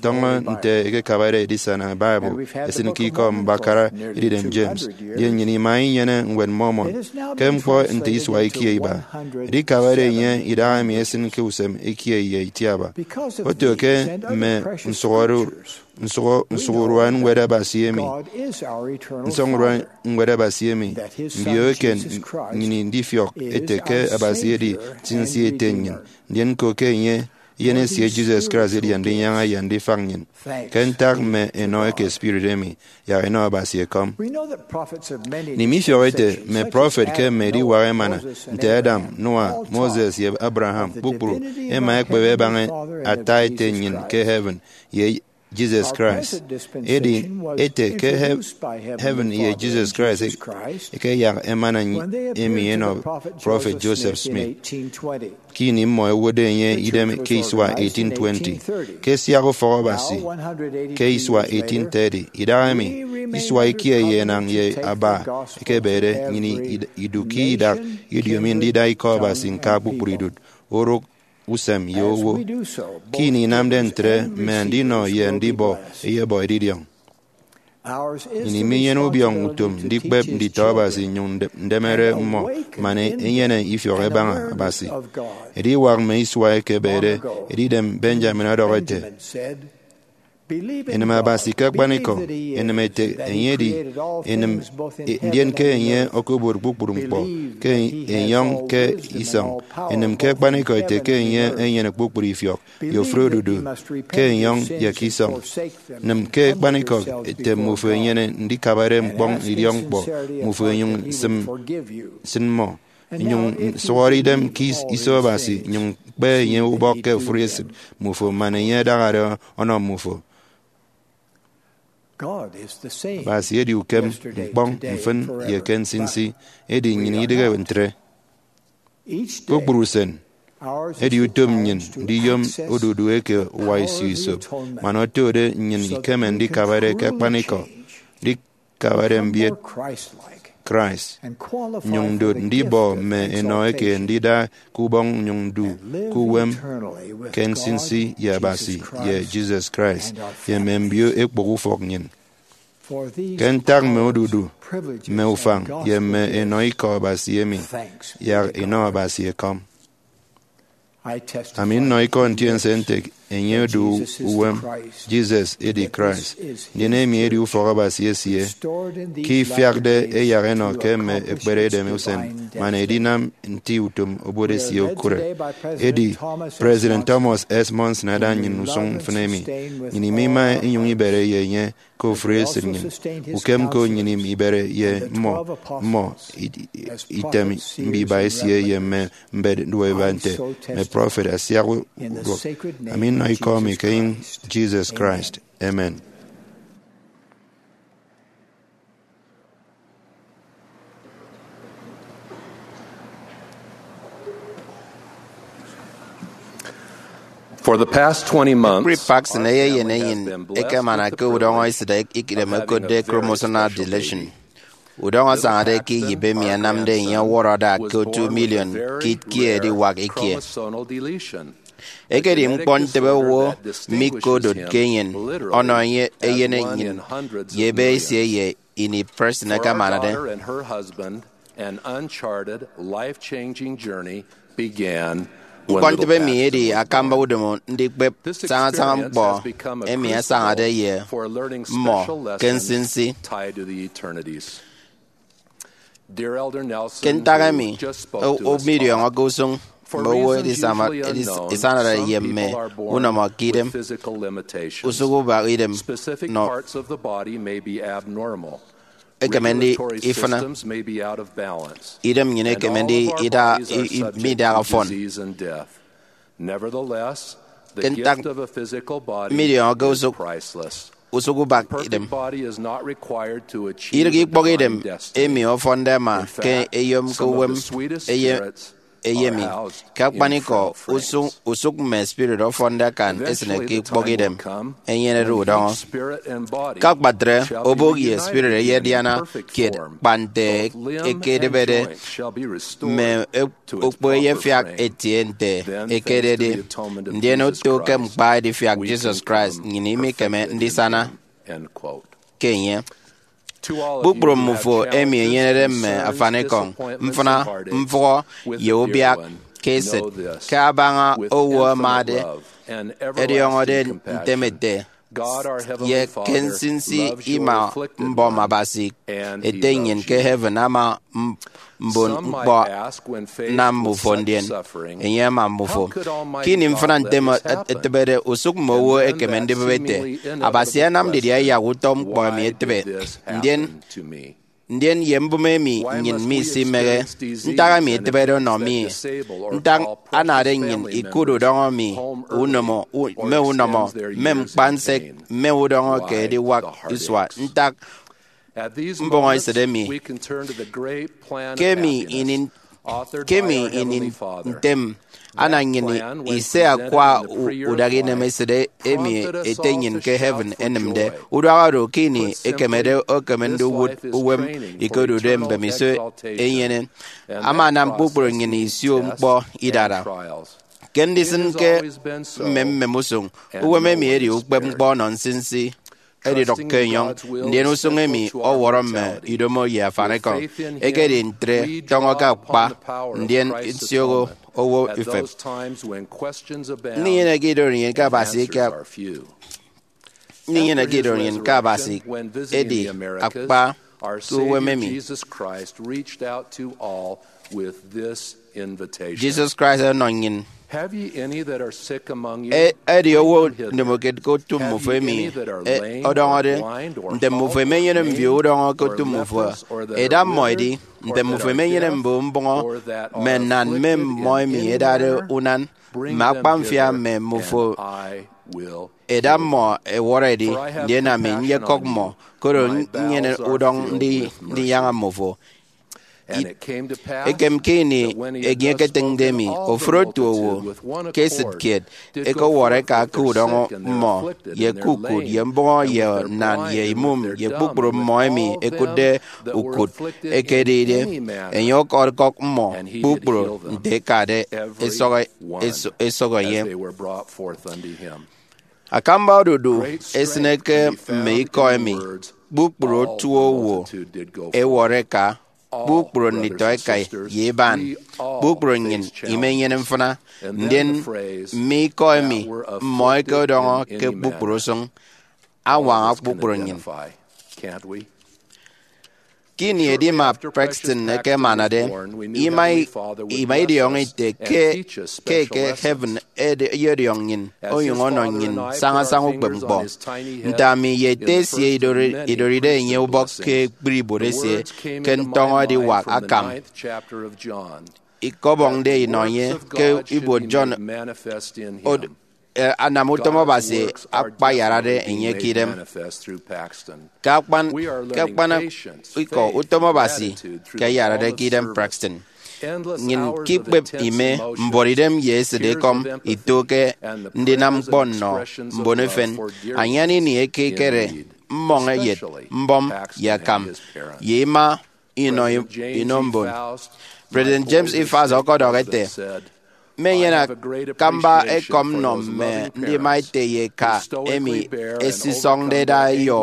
tọñọ nte ẹkekabade edisana Bible ẹsịn ke Ikọ Mbakara Edidem James, ye nnyịn ima inyene Ñwed Mormon ke ñkpọ nte isua ikie iba. Edikabade enye idahaemi ẹsịn ke usem ikie ye itiaba. Oto ke mme nsụhọde nsụhọ nsụhọurua Ñwed Abasi emi, nsọñurua Ñwed Abasi emi, mbio eken nnyịn ndifiọk ete ke Abasi edi nsinsi ete nnyịn, ndien ñko ke enye, eyen esie Jesus Christ, edi Andinyaña ye Andifak nnyịn. Ke ntak mme enọ eke Spirit emi, yak enọ Abasi ekọm. Nnyịn mifiọk ete mme prọfet ke mme ediwak emana, nte Adam, Noah, Moses, ye Abraham, kpukpru ẹma ẹkpep ẹbaña ata ete nnyịn ke heaven, ye Jesus Christ. Edi ete ke he- heaven ye Jesus Christ e- ekeyak emana emi enọ prọfet Joseph Smith ke ini mmọ ẹwotde enye idem ke isua eighteen twenty, ke siak ufọk Abasi ke isua eighteen thirty. Idahaemi, isua ikie ye enañ ye aba ekebede, nnyịn id- idu ke idak ediomi ndida Ikọ Abasi ñka kpukpru idụt, orụk, usem, ye owo. Ke ini inamde ntre, mme andinọ ye andibọ ẹyebọ edidiọñ. Nnyịn minyene ubiọñ utom ndikpep nditọ Abasi nnyụñ nde- ndemere mmọ man enyene ifiọk ẹbaña Abasi. Ediwak mme isua ekebede, Edidem Benjamin ọdọhọ ete, Enịm Abasi ke akpanikọ, enịm ete enye edi enịm, ndien ke enye okobot kpukpru ñkpọ ke enyọñ ke isọñ. Enịm ke akpanikọ ete ke enye enyene kpukpru ifiọk ye ofụri odudu ke enyọñ ye ke isọñ. Nịm ke akpanikọ ete mmufo enyene ndikabade ñkpọñ idiọkñkpọ mmufo, enyụñ sịm, sịn mmọ, nyụñ sụhọre idem ke is- iso Abasi, nyụñ kpe enye ubọk ke ofụri esịt mmufo, man enye adahade ọnọ mmufo. Abasi edi ukem ñkpọñ mfịn ye ke nsinsi, edi nnyịn idịghe ntre. Kpukpru usen, edi utom nnyịn ndiyom odudu eke uwa isio isop, man otode nnyịn ikeme ndikabade ke akpanikọ, ndikabade mbiet Christ, nyụñ ndot ndibọ mme enọ eke ndida ke ubọñ, nyụñ ndu ke uwem ke nsinsi ye Abasi ye Jesus Christ ye mme mbio ekpụk ufọk nnyịn. Ke ntak mme odudu, mme ufañ, ye mme enọ ikọ Abasi emi, yak inọ Abasi ekọm. Ami nnọ ikọ ntiense nte enye odu uwem, Jesus edi Christ, ndien emi edi ufọk Abasi esie, ke ifiakde eyak enọ ke mme ekpere edem usen, man edinam nti utom obot esie okụre. Edi President Thomas S. Monson ada nnyịn usụñ mfịn emi. Nnyịn imima inyụñ ibere ye enye ke ofụri esịt nnyịn. Ukem ko nnyịn ibere ye mmọ, mmọ, i- i- item mbiba esie ye mme mbet nduọiba nte mme prọfet asiak uduak. Ami nnọ ikọ mi ke enyịñ Jesus Christ. Amen. For the past twenty months, Ekpri Parkson eyeyen enyịn ekemana ke udọñọ esịt ikidem ẹkotde chromosomal deletion. Udọñọ asañade ke iyịp emi anamde enye ọwọrọ ada ke otu miliọn kit kiet ediwak ikie. Ekedi ñkpọ ntịbe owo mikodotke enyịn ọnọ enye eyen enyịn ye ebe esie ye ini Preston akamanade. Ñkpọntịbe emi edi akamba udomo ndikpep sañasaña ñkpọ emi asañade ye mmọ ke nsinsi. Ke ntak emi, o- midiọñọke usụñ mme owo edisama- edis- isanade ye mme unọmọ ke idem, usụk ubak idem nọ ekeme ndi ifịna. Idem nnyịn ekeme ndi ida i- i- midaha fọn. Ke ntak midiọñọke usụk usụk ubak idem, idịghe ikpọk idem emi ọfọnde ama ke eyomke uwem eye eyemi. Ke akpanikọ, usụk, usụk mme spirit ọfọnde akan esịne ke ikpọk idem, enyenede udọñọ. Ke akpatre, obụk ye spirit eyediana kiet kpa nte ekedịbede, mme okpo eyefiak etie nte ekededi, ndien oto ke ñkpa edifiak Jesus Christ nnyịn imikeme ndisana ke enye. Kpukpru mmufo emi enyenede mme afanikọñ, mfịna, mfụhọ, ye ubiak ke esịt, ke abaña owo amade, ẹdiọñọde ntem ete, ye ke nsinsi ima mbọm Abasi Ete nnyịn ke heaven ama m- mbon ñkpọ nam mbufo, ndien enye ama mbufo. Ke ini mfịna ntem etịbede, usụk mme owo ẹkeme ndibịp ete, Abasi anam didie yak utọ ñkpọ emi etịbe? Ndien, ndien ye mbụme emi nnyịn misimehe. Ntak emi etịbede ọnọ mi? Ntak anade nnyịn ikụt udọñọ mi, unomo, u- mme unọmọ, mme ñkpa nsek, mme udọñọ ke ediwak isua? Ntak mbọhọ esịt emi? Ke emi ini, ke emi ini ntem, ana nnyịn ise akwa u- udaha inemesịt emi Ete nnyịn ke heaven enịmde. Uduak oro ke ini ekemede okeme ndiwụt uwem ikedude mbemiso enyene, ama anam kpukpru nnyịn isio ñkpọ idara. Ke ndisịn ke mmem mmem usụñ, uwem emi edi ukpep ñkpọ ọnọ nsinsi, edidụk ke enyọñ, ndien usụñ emi ọwọrọ mme idomo ye afanikọñ. Ekedi ntre, tọñọ ke akpa, ndien nsioho owo ifep. Ndinyeneke idorenyin ke Abasi eke ndinyeneke ido nnyịn ke Abasi edi akpa ke uwem emi. Jesus Christ ọnọ nnyịn. E- edi owo ndomokiet ke otu mmufo emi e- ọdọñọde. Nte mmufo emenyene mbio udọñọ ke otu mmufo, eda mmọ edi. Nte mmufo emenyene mbio mbụñọ, mme nnan mme mmọ emi ẹdade unan, mme akpamfia mme mmufo, eda mmọ ẹwọrọ ẹdi, ndien ami nyekọk mmọ, koro nnyene udọñ ndi- ndinyaña mmufo. Ekem ke ini enye eketịñde mi, ofụri otu owo ke esịt kiet ekewọrọ eka ke udọñọ mmọ, ye ke ukụt, ye mbụñọ, ye nnan, ye imụm, ye kpukpru mmọ emi ẹkụtde ukụt ekedide. Enye ọkọkọk mmọ kpukpru nte ẹkade ẹsọk, ẹsọk enye. Akamba odudu esịne ke mme ikọ emi, kpukpru otu owo ẹwọrọ eka, kpukpru nditọ ẹka ye iban, kpukpru nnyịn imenyene mfịna, ndien mme ikọ emi mmọ ẹkedọñọ ke kpukpru usụñ añwaña kpukpru nnyịn. Ke ini edima Prestone ekemanade, ima, ima idiọñọ ite ke, ke eke heaven ede- eyediọñ nnyịn, onyụñ ọnọ nnyịn sañasaña ukpepñkpọ. Nte ami ye ete esie idori- idoride enye ubọk ke ekpri ibuot esie ke ntọñọ ediwak akam, ikọbọñde inọ enye ke ibuot John od- eh, anam utom Abasi akpayarade enye ke idem. Ke akpan, ke akpan ikọ, utom Abasi ke ayarade ke idem Prestone. Nnyịn ke ikpep ime, mbuọtidem ye esịt ekọm ito ke ndinam ñkpọ nnọ mbon efen. Anyan ini ekekere mmọñ eyet, mbọm, ye akam, ye ima inọ, inọ mbon. President James E. Faust ọkọdọhọ ete, mmenyene akamba ekọm nnọ mme ndima ete ye eka emi ẹsisọñde ẹda ẹyọ,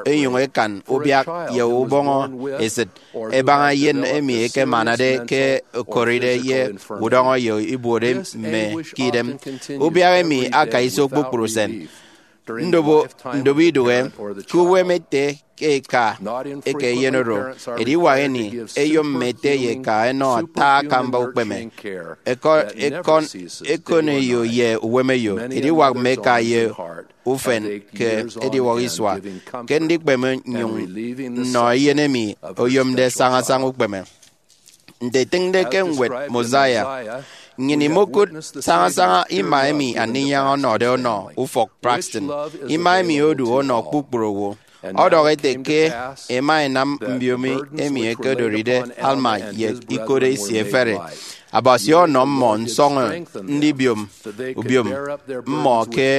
ẹnyụñ ẹkan ubiak ye ubọñọ esịt, ẹbaña eyen emi ẹkemanade ke okoride ye udọñọ ye ibuot mme ke idem. Ubiak emi aka iso kpukpru usen. Ndobo, ndobo idụhe ke uwem ete ke eka eke eyen oro. Ediwak ini, eyom mme ete ye eka ẹnọ ata akamba ukpeme. Ẹkọ-, ẹkọn, ẹkon eyo ye uwem eyo, ediwak mme eka ye ufen ke ediwak isua, ke ndikpeme nnyụñ nnọ eyen emi oyomde sañasaña ukpeme. Nte etịñde ke ñwed Mosiah, nnyịn imokụt sañasaña ima emi Andinyaña ọnọde ọnọ ufọk Prestone. Ima emi odu ọnọ kpukpru owo. Ọdọhọ ete ke ẹma ẹnam mbiomi emi ẹkedoride Alma ye ikot esie ẹfere. Abasi ọnọ mmọ nsọñọ ndibiom ubiom mmọ ke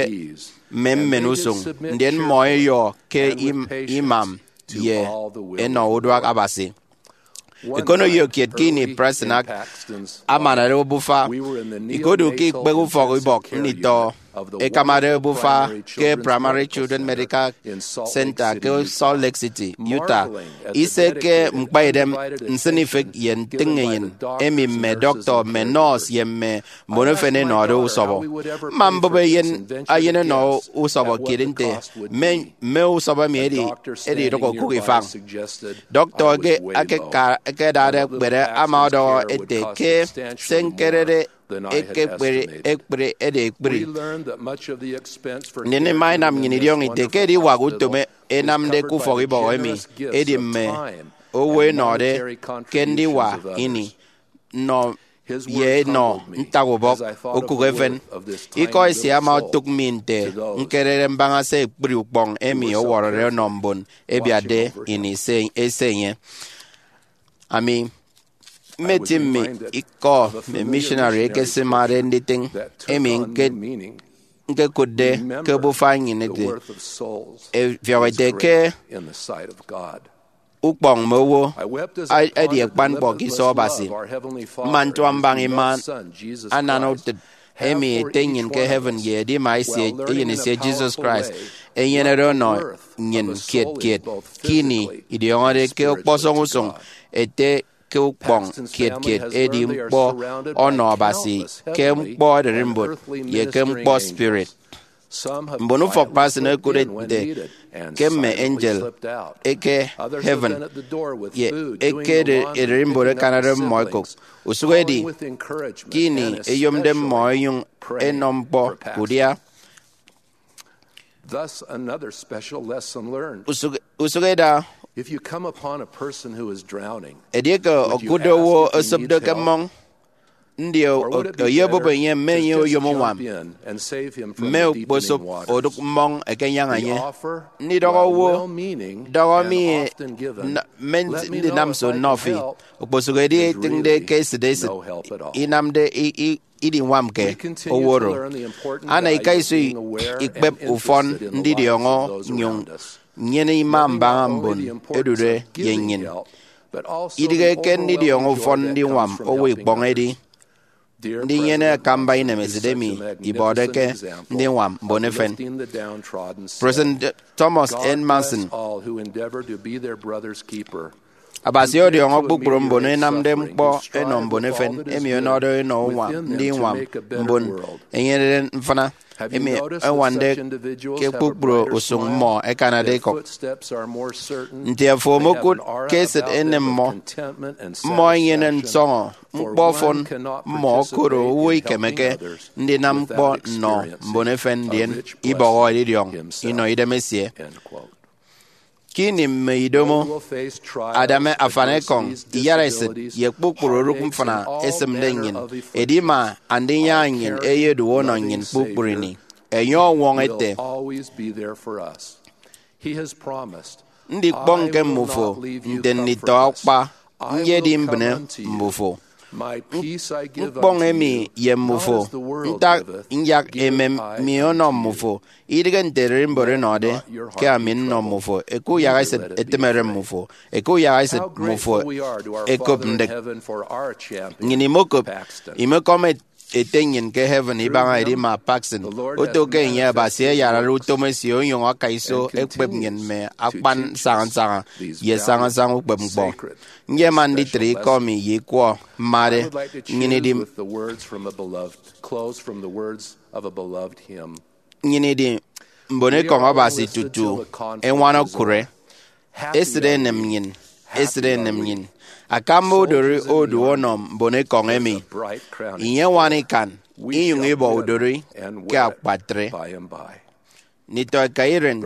mme mmen usụñ, ndien mmọ ẹyọ ke im-, imam ye ẹnọ uduak Abasi. Ekoneyo kiet ke ini Prestone ak-, amanade obufa, ikodu ke ikpehe ufọk ibọk nditọ ẹkamade obufa ke Primary Children Medical Center ke Salt Lake City, Utah. Ise ke ñkpaidem nsịnifịk ye ntịñenyịn emi mme dọktọ, mme nọọsụ, ye mme mbon efen ẹnọde usọbọ. Mma mbụp eyen, eyen ẹnọ usọbọ kiet nte mme, mme usọbọ emi ẹdi, ẹdidụk okụk ifañ. Dọktọ eke, eke ka-, ẹkedade ekpere ama ọdọhọ ete ke se ñkerede ekekpere ekpri edi ekpri. Ndien ima inam nnyịn idiọñọ ite ke ediwak utom ẹnamde ke ufọk ibọk emi edi mme owo ẹnọde ke ndiwa ini nnọ ye enọ ntak ubọk okụk efen. Ikọ esie ama otụk mi nte ñkerede mbaña se ekpri ukpọñ emi ọwọrọde ọnọ mbon ẹbiatde ini se, ese enye. Ami mmeti mme ikọ mme missionary ẹkesimade nditịñ emi ñke-, ñkekụtde ke obufa nnyịn ete, ẹfiọk ẹte ke ukpọñ mme owo a-, edi akpan ñkpọ ke iso Abasi. Mma ntua mbaña ima anana utịt emi Ete nnyịn ke heaven ye Edima esie, Eyen esie Jesus Christ, enyenede ọnọ nnyịn kiet kiet ke ini idiọñọde ke ọkpọsọñ usụñ ete ke ukpọñ kiet kiet edi ñkpọ ọnọ Abasi ke ñkpọ ererimbot ye ke ñkpọ spirit. Mbon ufọk Patson ẹkụtde nte ke mme angel eke heaven ye eke ererimbot ẹkanade mmọ ẹkop. Usụhedi ke ini ẹyomde mmọ ẹnyụñ ẹnọ ñkpọ udia. Usụk- usụk eda. Edieke okụtde owo osopde ke mmọñ, ndi oyobụp enye mme enye oyom uñwam? Mme okposop odụk mmọñ ẹkenyaña enye. Ndidọhọ owo, dọhọ mi, mme ndinam nso nnọ fi, okposụkedi etịñde ke esịt esịt inamde idiñwamke owo oro. Ana ikaiso ikpep ufọn ndidiọñọ nnyụñ nnyene ima mbaña mbon ẹdude ye nnyịn. Idịghe ke ndidiọñọ ufọn ndiñwam owo ikpọñ edi ndinyene akamba inemesịt emi ibọde ke ndiñwam mbon efen. President Thomas N. Monson. Abasi ọdiọñọ kpukpru mbon ẹnamde ñkpọ ẹnọ mbon efen emi ọnọde enọ uñwam ndiñwam mbon ẹnyenede mfịna emi ẹñwande ke kpukpru usụñ mmọ ẹkanade ikọk. Nte afo omokụt ke esịt enem mmọ, mmọ ẹnyene nsọñọ ñkpọ ọfọn mmọ, koro owo ikemeke ndinam ñkpọ nnọ mbon efen ndien ibọhọ edidiọñ inọ idem esie. Ke ini mme idomo, adame afanekọñ, iyaraesịt, ye kpukpru orụk mfịna esịmde nnyịn, edima Andinyaña nnyịn eyedu ọnọ nnyịn kpukpru ini. Enye ọñwọñọ ete, ndikpọñke mbufo nte nditọ akpa, nyedi mbịne mbufo. Ñkpọñ emi ye mbufo, ntak nyak emem mi ọnọ mbufo? Idịghe nte ererimbot ẹnọde ke ami nnọ mbufo, eke uyahaesịt etịmede mbufo, eke uyahaesịt mbufo ẹkop ndịk. Nnyịn imokop, imekọm ete nnyịn ke heaven ibaña edima Paxton, oto ke enye Abasi ayarare utom esie onyụñ aka iso ekpep nnyịn mme akpan nsaña nsaña ye nsaña nsaña ukpepñkpọ. Nyema nditre ikọ mi ye ikwọ mmade. Nnyịn idi, nnyịn idi mbonekọñ Abasi tutu eñwan okụre. Esịt enem nnyịn, esịt enem nnyịn. Akamba odori odu ọnọ mbonekọñ emi. Inyeñwan ikan, inyụñ ibọ udori ke akpatre. Nditọ eka iren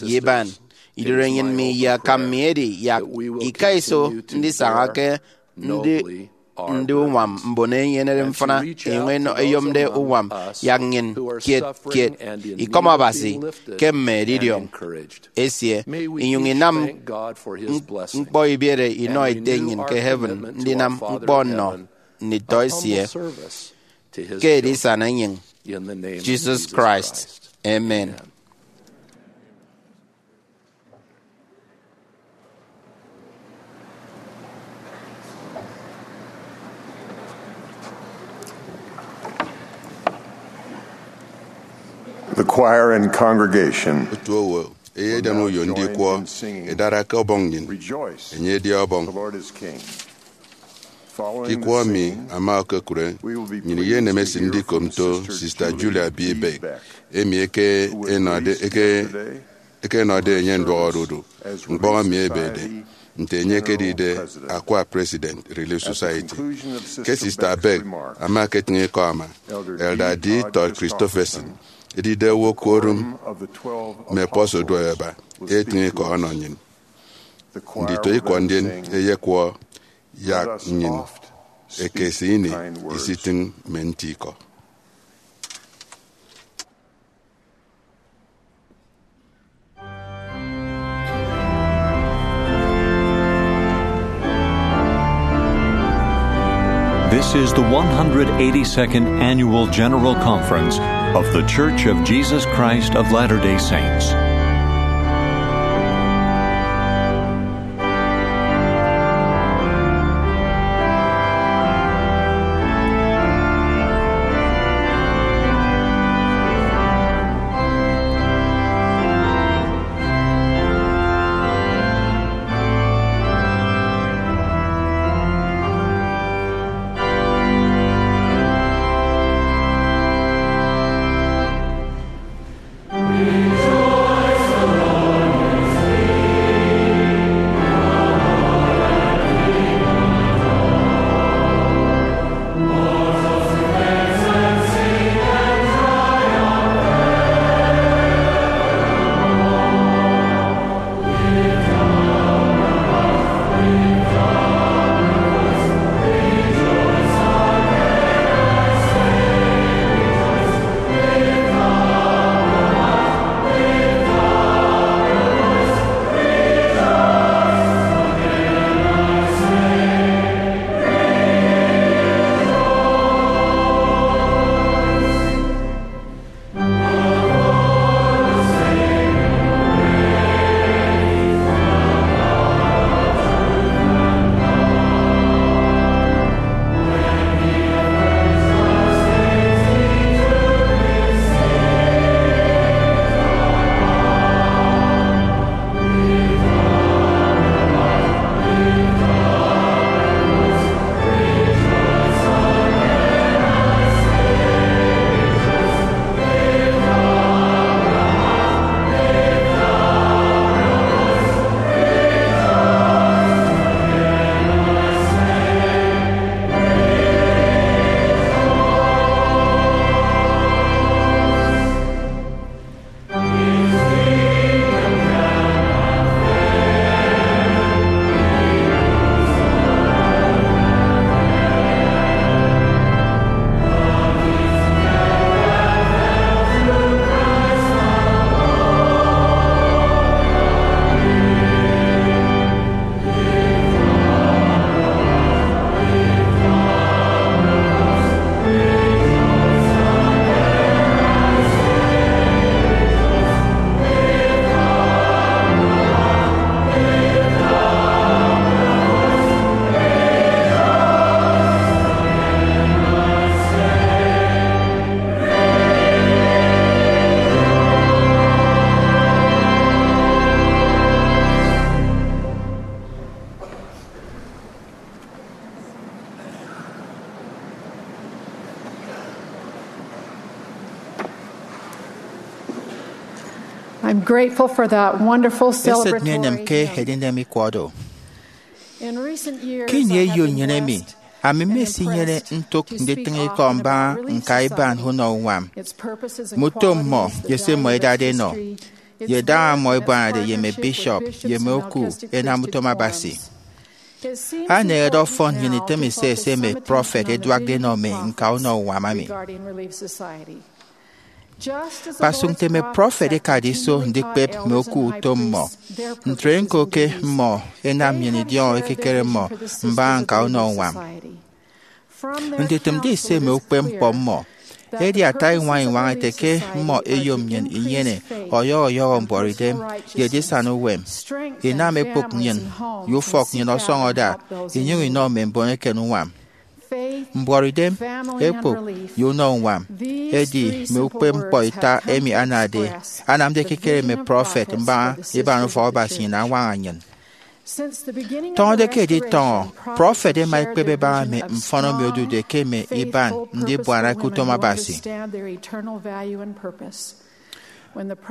ye iban, idorenyin mi ye akam mi edi yak ika iso ndisaña ke ndi ndi uñwam mbon ẹnyenede mfịna, inyụñ ẹnọ ẹyomde uñwam yak nnyịn kiet kiet. Ikọm Abasi ke mme edidiọñ esie, inyụñ inam ñkpọ ibiere inọ Ete nnyịn ke heaven ndinam ñkpọ nnọ nditọ esie. Ke edisana enyịñ Jesus Christ. Amen. The choir and congregation. Otu owo, eyedem uyo ndikwọ, edara ke ọbọñ nnyịn. Enye edi ọbọñ. Ke ikwọ emi ama okokụre, nnyịn iyenem esịt ndikop nto Sista Julia B. Beck, emi eke enọde, eke, eke enọde enye nduọk odudu. Ñkpọñ emi ebede nte enye ekedide akwa President Relief Society. Ke Sista Beck ama eketịñ ikọ ama, Elder D. Todd Christofferson, edide owo Quorum mme Apostles Duoeba, etịñ ikọ ọnọ nnyịn. Nditọ ikọ ndien eyekwọ yak nnyịn ekese ini isitịñ mme nti ikọ. This is the one hundred eighty-second Annual General Conference of The Church of Jesus Christ of Latter-day Saints. I'm grateful for that wonderful Esịt mi enem ke celebratory. Edinem ikwọ do. In recent years, Ke ini I have eyo been nnyịn emi, blessed ami in mmesinyene impressed ntụk to nditịñ speak ikọ often mbaña about Relief nka iban Society, unọ uñwam, its purposes and mme utom mmọ, qualities, ye its se mmọ values, its edade enọ, history, its ye daña mmọ leadership, ebuanade ye mme membership, bishop, its ye mme members, oku and its enam utom vocation to Abasi. It seems Aneñede important ọfọn nnyịn now itịm to ise focus ese some mme attention prọfet on the eduakde enọ mme nka unọ uñwam emi. Regarding Relief Society. Kpasụk nte mme prọfet ẹkade iso ndikpep mme oku utom mmọ, ntre ñko ke mmọ ẹnam nnyịn idiọñọ ekikere mmọ mbaña nka unọ uñwam. Nditịmde ise mme ukpepñkpọ mmọ, edi ata iñwañ-iñwañ ete ke mmọ ẹyom nnyịn inyene ọyọhọ ọyọhọ mbuọtidem ye edisana uwem, inam ekpụk nnyịn, ye ufọk nnyịn ọsọñọ ada, inyụñ inọ mme mbon eken uñwam. Mbuọtidem, ekpụk, ye unọ uñwam edi mme ukpepñkpọ ita emi anade, anamde ekikere mme prọfet mbaña iban ufọk Abasi nnyịn añwaña nnyịn. Tọñọde ke editọñọ, prọfet ẹma ẹkpep ẹbaña mme mfọn emi odude ke mme iban ndibuana ke utom Abasi.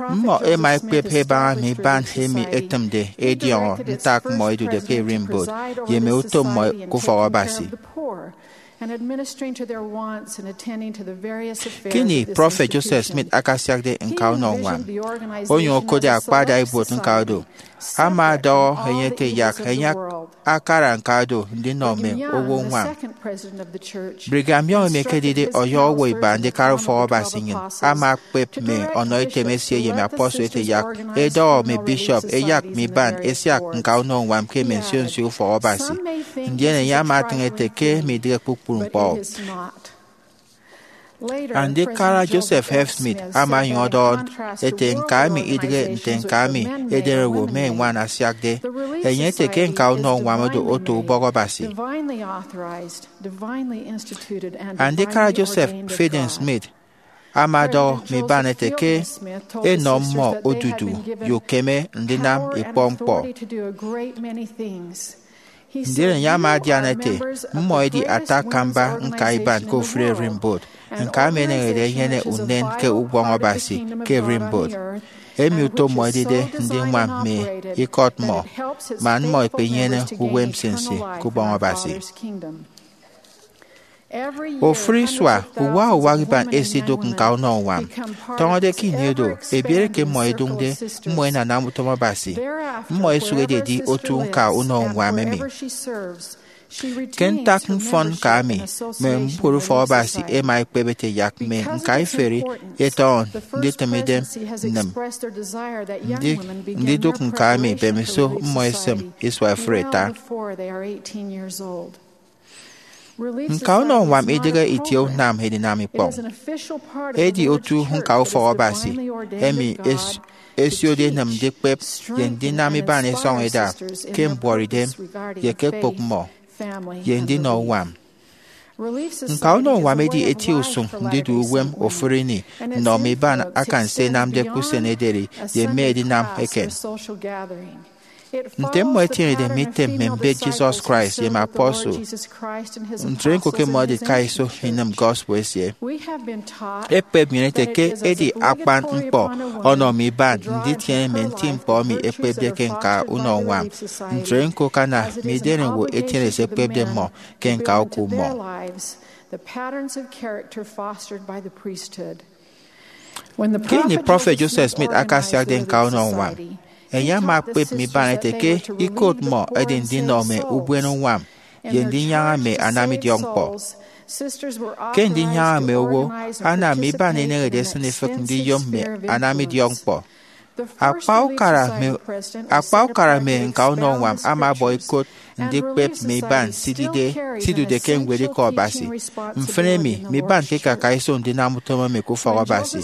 Mmọ ẹma ẹkpep ẹbaña mme iban emi ẹtịmde ẹdiọñọ ntak mmọ ẹdude ke ererimbot ye mme utom mmọ ke ufọk Abasi. Ke ini Prọfet Joseph Smith akasiakde nka unọ uñwam, onyụñ okotde akpa adaibuot nka do, ama ọdọhọ enye ete yak enye akara nka do ndinọ mme owo uñwam. Brigham Young emi ekedide ọyọhọ owo iba ndikara ufọk Abasi nnyịn ama ekpep mme ọnọ item esie ye mme apostle ete yak ẹdọhọ mme bishop ẹyak mme iban ẹsiak nka unọ uñwam ke mme nsio nsio ufọk Abasi, ndien enye ama atịñ ete ke midịghe kpukpru ñkpọ. Andikara Joseph F. Smith ama onyụñ ọdọhọ ete nka emi idịghe nte nka emi edenowo mme ñwan asiakde. Enye ete ke nka unọ uñwam odu otu ubọk Abasi. Andikara Joseph Fielding Smith ama ọdọhọ mme iban ete ke enọ mmọ odudu ye ukeme ndinam ikpọ ñkpọ. Ndien enye ama adian ete, mmọ edi ata akamba nka iban ke ofụri ererimbot, nka emi eneñede enyene unen ke ukpọñ Abasi ke ererimbot, emi utom mmọ edide ndiñwam mme ikọt mmọ, man mmọ ẹkpenyene uwem nsinsi ke Ubọñ Abasi. Ofụri isua, uwak uwak iban ẹsidụk nka unọ uñwam. Tọñọde ke ini oro, ebiere ke mmọ ẹdụñde, mmọ ẹnanam utom Abasi. Mmọ ẹsụk ẹdedi otu nka unọ uñwam emi. Ke ntak mfọn nka emi, mme mbubot ufọk Abasi ẹma ẹkpep ete yak mme nka iferi ẹtọñọ nditịm idem nnịm. Ndi- ndidụk nka emi, mbemiso mmọ ẹsịm isua ifụre ẹta. Nka unọ uñwam idịghe itie unam edinam ikpọñ. Edi otu nka ufọk Abasi emi es- esiode enem ndikpep ye ndinam iban isọñ ida ke mbuọtidem ye ke ekpụk mmọ ye ndinọ uñwam. Nka unọ uñwam edi eti usụñ ndidu uwem ofụri ini nnọ mme iban akan se ẹnamde ke usen ederi ye mme edinam eken. Nte mmọ ẹtienede mme item mme mbet Jesus Christ ye mme apostle, ntre ñko ke mmọ ẹdika iso inịm gospel esie. Ekpep nnyịn ete ke edi akpan ñkpọ ọnọ mme iban nditiene mme nti ñkpọ emi ẹkpepde ke nka unọ uñwam. Ntre ñko ke ana mme idenowo ẹtiene se ẹkpepde mmọ ke nka oku mmọ. Ke ini Prọfet Joseph Smith akasiakde nka unọ uñwam, enye ama ekpep mme iban ete ke ikot mmọ edi ndinọ mme ubuene uñwam ye ndinyaña mme anamidiọk ñkpọ. Ke ndinyaña mme owo, ana mme iban eneñede esịn ifịk ndiyom mme anamidiọk ñkpọ. Akpa ukara mme, akpa ukara mme nka unọ uñwam ama ọbọ ikot ndikpep mme iban sidide, sidude ke ñwed Ikọ Abasi. Mfịn emi, mme iban ke ikaka iso ndinam utom emi ke ufọk Abasi.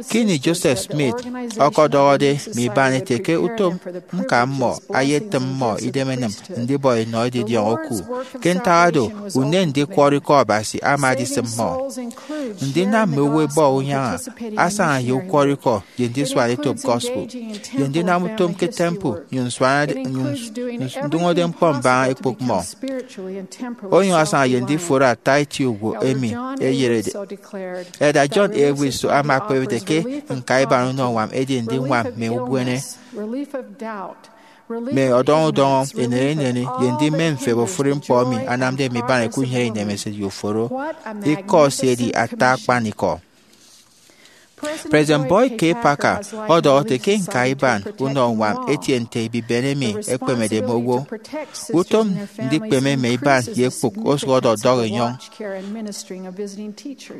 Ke ini Joseph Smith ọkọdọhọde mme iban ete ke utom ñka mmọ ayetịm mmọ idem ẹnịm ndibọ enọ edidiọñ oku, ke ntak oro, unen ndikwọrọ Ikọ Abasi ama edisịm mmọ. Ndinam mme owo ẹbọ unyaña, asaña ye ukwọrọikọ ye ndisuan etop gospel, ye ndinam utom ke temple, nnyụñ nsuanade, nnyụñ ns- ndụñọde ñkpọ mbaña ekpụk mmọ, onyụñ asaña ye ndiforo ata eti owo emi eyerede. Elder John A. Woods ama akpa ewet ete ke ñkaiban unọ uñwam edi ndiñwam mme ubuene, mme ọdọñọ udọñọ, ineri ineri, ye ndimen mfep ofụri ñkpọ emi anamde mme iban ẹkunyene inemesịt ye uforo. Ikọ esie edi ata akpanikọ. President Boyd K. Packer ọdọhọ ete ke ñkaiban unọ uñwam etie nte ebiben emi ekpemede mme owo. Utom ndikpeme mme iban ye ekpụk osụk ọdọdọk enyọñ.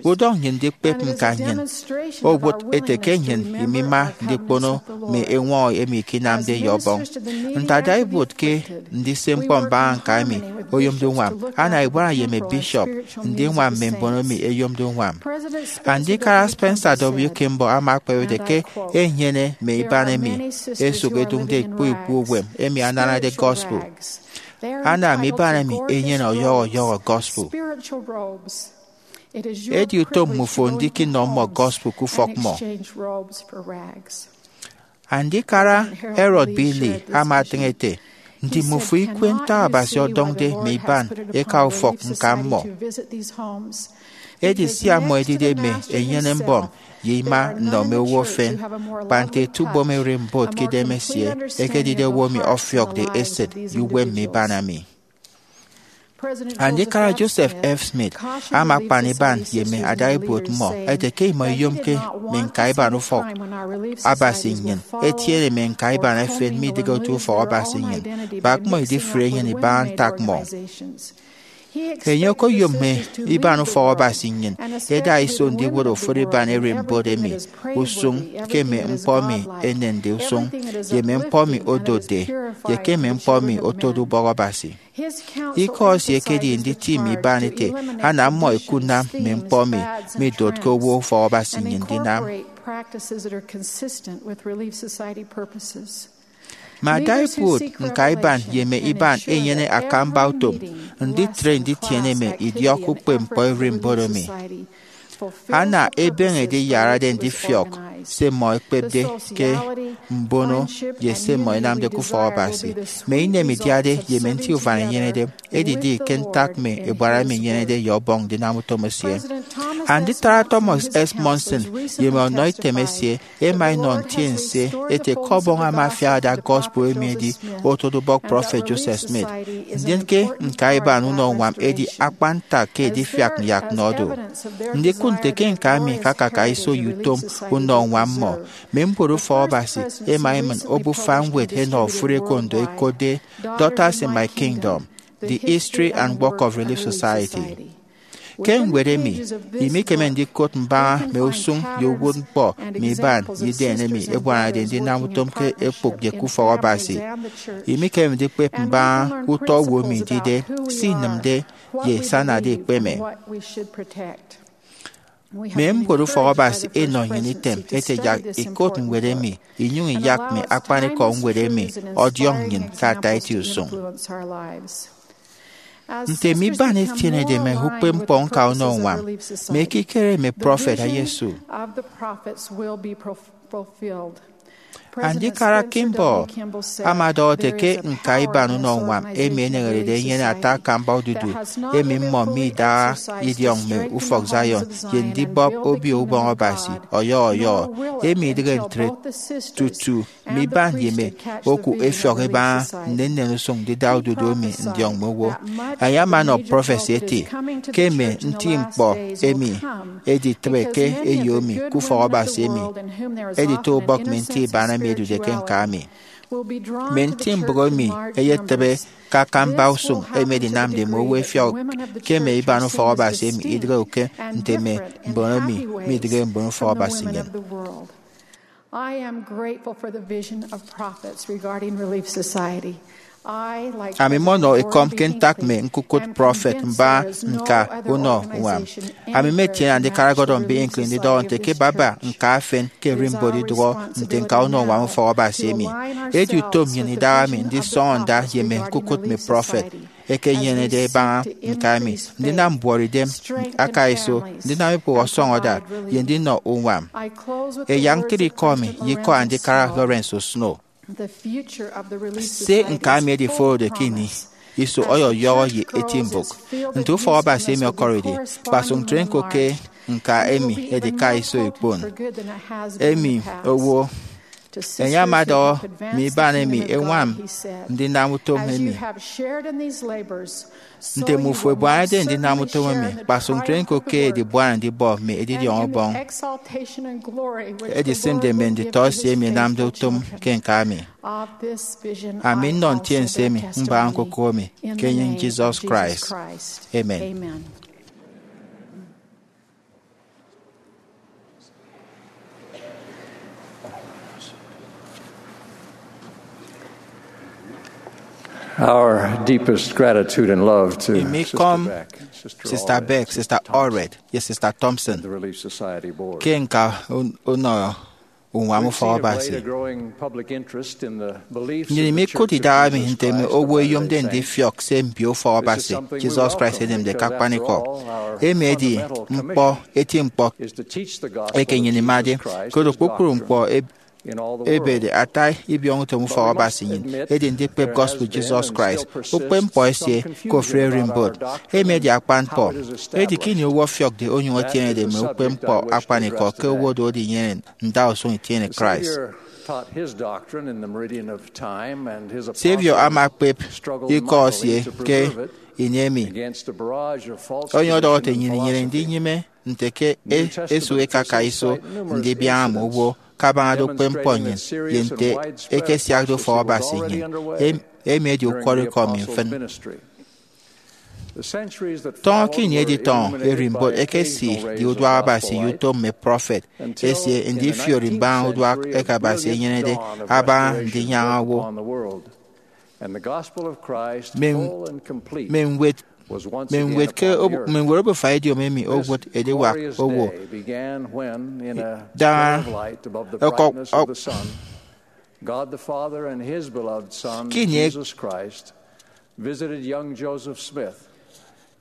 Udọñ nnyịn ndikpep ñka nnyịn owụt ete ke nnyịn imima ndikpono mme eñwọñọ emi ikinamde ye Ọbọñ. Nte ada ibuot ke ndise ñkpọ mbaña ñka emi oyomde uñwam, ana ebuana ye mme bishop ndiñwam mme mbon emi eyomde uñwam. Andikara Spencer W. Kimball ama akpa ewet ete ke enyene mme iban emi ẹsụk ẹdụñde ikpọ ikpọ uwem emi ananade gospel. Ana mme iban emi ẹnyene ọyọhọ ọyọhọ gospel. Edi utom mmufo ndiknọ mmọ gospel ke ufọk mmọ. Andikara Harold B. Lee ama atịñ ete, ndimufo ikwe ntak Abasi ọdọñde mme iban eka ufọk ñka mmọ. Edi sia mmọ ẹdide mme enyene-mbọm ye ima nnọ mme owo efen, kpa nte ete ubom ererimbot ke idemesie ekedide owo emi ọfiọkde esịt ye uwem mme iban emi. Andikara Joseph F. Smith ama akpan iban ye mme ada ibuot mmọ ete ke imọ iyomke mme ñkaiban ufọk Abasi nnyịn ẹtiene mme ñkaiban efen midịghe otu ufọk Abasi nnyịn, kpa ke mmọ idifre enyịn ibaña ntak mmọ. Enye okoyom mme iban ufọk Abasi nnyịn ẹda iso ndiwụt ofụri iban ererimbot emi usụñ ke mme ñkpọ emi enende usụñ, ye mme ñkpọ emi odotde, ye ke mme ñkpọ emi otode ubọk Abasi. Ikọ esie ekedi nditim iban ete ana mmọ ẹkunam mme ñkpọ emi midotke owo ufọk Abasi nnyịn ndinam. Mme ada ibuot ñkaiban ye mme iban ẹnyene akamba utom nditre nditiene mme idiọk ukpepñkpọ ererimbot emi. Ana ebeñe ediyarade ndifiọk se mmọ ẹkpepde ke mbono ye se mmọ ẹnamde ke ufọk Abasi. Mme inem idiade ye mme nti ufan ẹnyenede edidi ke ntak mme ebuana emi enyenede ye Ọbọñ ndinam utom esie. Anditara Thomas S. Monson ye mme ọnọitem esie ẹma ẹnọ ntiense ete ke Ọbọñ ama afiak ada gospel emi edi otode ubọk prọfet Joseph Smith. Ndien ke ñkaiban unọ uñwam edi akpan ntak ke edifiak yak nọ do. Ndikụt nte ke ñka emi ikakaka iso ye utom unọ uñwam mmọ, mme mbon ufọk Abasi ẹma ẹmịn obufa ñwed ẹnọ ofụri ekondo ẹkotde Daughters in My Kingdom, The History and Work of Relief Society. Ke ñwed emi, imikeme ndikot mbaña mme usụñ ye uwụtñkpọ mme iban ye idem emi ẹbuanade ndinam utom ke ekpụk ye ke ufọk Abasi. Imikeme ndikpep mbaña utọ owo emi idide, se inịmde, ye se anade ikpeme. Mme mbon ufọk Abasi ẹnọ nnyịn item ete yak ikot ñwed emi, inyụñ iyak mme akpanikọ ñwed emi ọdiọñ nnyịn ke ata eti usụñ. Nte mme iban ẹtienede mme ukpepñkpọ ñka unọ uñwam, mme ekikere mme prọfet ẹyesu. Andikara Kimball ama ọdọhọ ete ke ñkaiban unọ uñwam emi eneñerede enyene ata akamba odudu emi mmọ midara idiọñ mme ufọk Zion ye ndibọp Obio Ubọñ Abasi ọyọhọ ọyọhọ, emi idịghe ntre tutu mme iban ye mme oku ẹfiọk ẹbaña nnennen usụñ ndida odudu emi ndiọñ mme owo. Enye ama ọnọ prọfesi eti ke mme nti ñkpọ emi ẹditịbe ke eyo emi ke ufọk Abasi emi ẹdito ubọk mme nti iban emi ẹdude ke ñka emi. Mme nti mbụk emi ẹyetịbe ke akamba usụñ emi ẹdinamde mme owo ẹfiọk ke mme iban ufọk Abasi emi idịghe uke nte mme mbon emi midịghe mbon ufọk Abasi nnyịn. I am grateful for the vision of prophets regarding Relief Society. I, like Ami mmọnọ ekọm ke ntak mme ñkukụt prọfet mbaña ñka unọ uñwam. Ami mmetiene Andikara Gordon B. Hinckley ndidọhọ nte ke baba ñka efen ke ererimbot idụhọ nte ñka unọ uñwam ufọk Abasi emi. Edi utom nnyịn idaha mi ndisọñọ nda ye mme ñkukụt mme prọfet ẹkenyenede ẹbaña ñka emi, ndinam mbuọtidem akaiso, ndinam ikpụk ọsọñọda, ye ndinọ uñwam. Ẹyak ñkịt ikọ mi ye ikọ Andikara Lawrence Snow. Se ñka emi ediforode ke ini iso ọyọyọhọ ye eti mbụk. Nte ufọk Abasi emi ọkọride, kpasụk ntre ñko ke ñka emi edika iso ikpon. Emi owo enye ama ọdọhọ mme iban emi ẹñwam ndinam utom emi. Nte mmufo ẹbuanade ndinam utom emi, kpasụk ntre ñko ke edibuana ndibọ mme edidiọñ ubọñ edisịmde mme nditọ esie emi ẹnamde utom ke ñka emi. Ami nnọ ntiense emi mbaña ñkokomi ke enyịñ Jesus Christ. Amen. Our deepest gratitude and love to Imi Sister kọm Beck, Sister Sister Allred, Beck, Sister Allred, ye Sister Thompson and the Relief Society Board. Ke ñka un- unọ unwam ufọk Abasi. Nnyịn mikụt idaha mi nte mme owo ẹyomde ndifiọk se mbio ufọk Abasi Jesus Christ enemde ke akpanikọ. Emi edi ñkpọ eti ñkpọ eke nnyịn imade, koro kpukpru ñkpọ eb- ebede ata ibiọñutom ufọk Abasi nnyịn edi ndikpep gospel Jesus Christ, ukpepñkpọ esie ke ofụri ererimbot. Emi edi akpan ñkpọ. Edi ke ini owo ọfiọkde onyụñ etienede mme ukpepñkpọ akpanikọ ke owo odude inyene ndausụñ itiene Christ. Saviour ama akpep ikọ esie ke ini emi. Onyụñ ọdọhọ ete, nnyịn inyene ndinyịme nte ke e- esụk ekaka iso ndibiaña mme owo kabañade ukpepñkpọ nnyịn ye nte ekesiakde ufọk Abasi nnyịn. Em- emi edi ukwọrọikọ mi mfịn. Tọñọ ke ini editọñọ ererimbot ekesidi uduak Abasi ye utom mme prọfet esie ndifiori mbaña uduak eke Abasi enyenede abaña ndinyaña owo. Mme mme ñwed mme ñwed ke ob- mme ñwed obufa idiom emi owụt ediwak owo. Daña ọkọk God the Father and his beloved Son, Kini ek- Jesus Christ, visited young Joseph Smith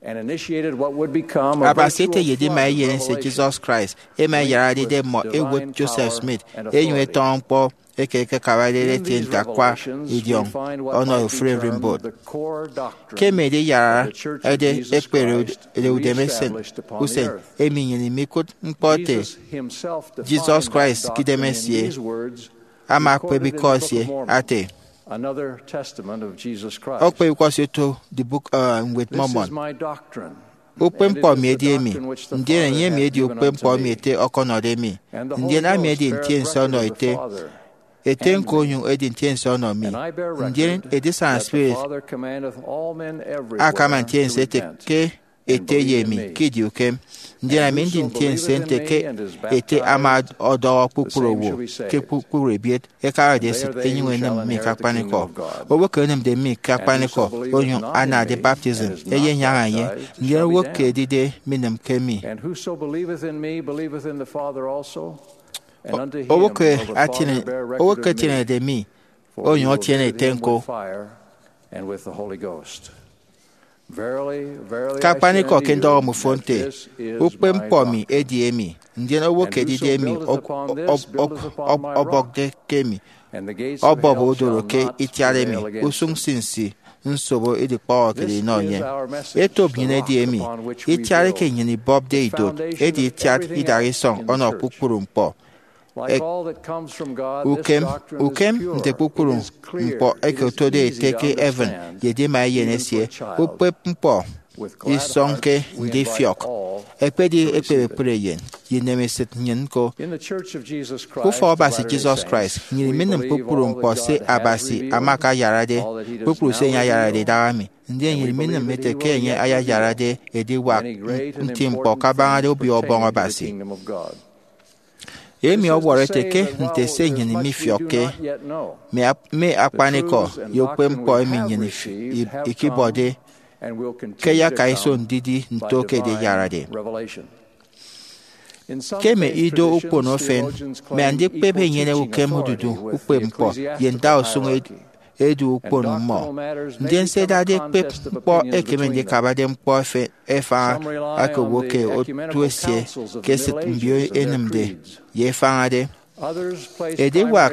and initiated what would become a Abasi ete virtual ye edima flood of eyen ese revelation Jesus Christ ema eyarade mmọ ewot Joseph Smith enyụñ etọñọ ñkpọ eke ekekabade ete nte akwa idiọñ ọnọ ofụri ererimbot. Ke emi ediyarade ekpere ud- udeme usen, emi nnyịn imikụt ñkpọ ete Jesus Christ ke idem esie ama akpep ikọ esie ate. Okpep ikọ esie oto the book, uh, Ñwed Mormon. Ukpepñkpọ mi edi emi, ndien enye emi edi ukpepñkpọ emi ete ọkọnọde mi, ndien ami edi ntiense ọnọ ete, ete ñko onyụñ edi ntiense ọnọ mi, ndien edisana spirit akama ntiense ete ke ete ye emi ke idi ukem. Ndien ami ndi ntiense nte ke ete ama ọdọhọ kpukpru owo ke kpukpru ebiet ẹkabade esịt ẹnyụñ ẹnịm mi ke akpanikọ. Owo ke enịmde mi ke akpanikọ onyụñ anade baptism eyenyaña enye, ndien owo ke edide minịm ke mi. Owo ke atiene- owo ke etienede mi onyụñ etiene ete ñko. Ke akpanikọ ke ndọhọ mmọ fo nte, ukpepñkpọ mi edi emi, ndien owo ke edide emi ọb- ọb- ọb- ọb- ọbọkde ke emi, ọbọp odoro ke itiat emi, usụñ nsinsi nsobo idikpọhọkede inọ enye. Etop nnyịn edi emi, itiat eke nnyịn ibọpde idot edi itiat idaha isọñ ọnọ kpukpru ñkpọ. Ek- ukem ukem nte kpukpru ñkpọ eke otode ete ke heaven ye edima eyen esie, ukpepñkpọ isọñke ndifiọk, ekpedi ekpep ekpri eyen ye inemesịt nnyịn ñko. Ke ufọk Abasi Jesus Christ, nnyịn iminịm kpukpru ñkpọ se Abasi ama akayarade, kpukpru se enye ayarade idaha mi, ndien nnyịn iminịm ete ke enye ayayarade ediwak nti ñkpọ kabañade Obio Ubọñ Abasi. Emi ọwọrọ ete ke nte se nnyịn mifiọkke, mme ap- mme akpanikọ ye ukpepñkpọ emi nnyịn if- i- ikibọde ke ẹyaka iso ndidi nto ke ediyarade. Ke mme ido ukpono efen, mme andikpep ẹnyene ukem odudu ukpepñkpọ ye ndausụñ ed- edu ukpono mmọ. Ndien se ẹdade ekpep ñkpọ ekeme ndikabade ñkpọ efen efaña aka owo ke otu esie ke esịt mbio ẹnịmde ye ẹfañade. Ediwak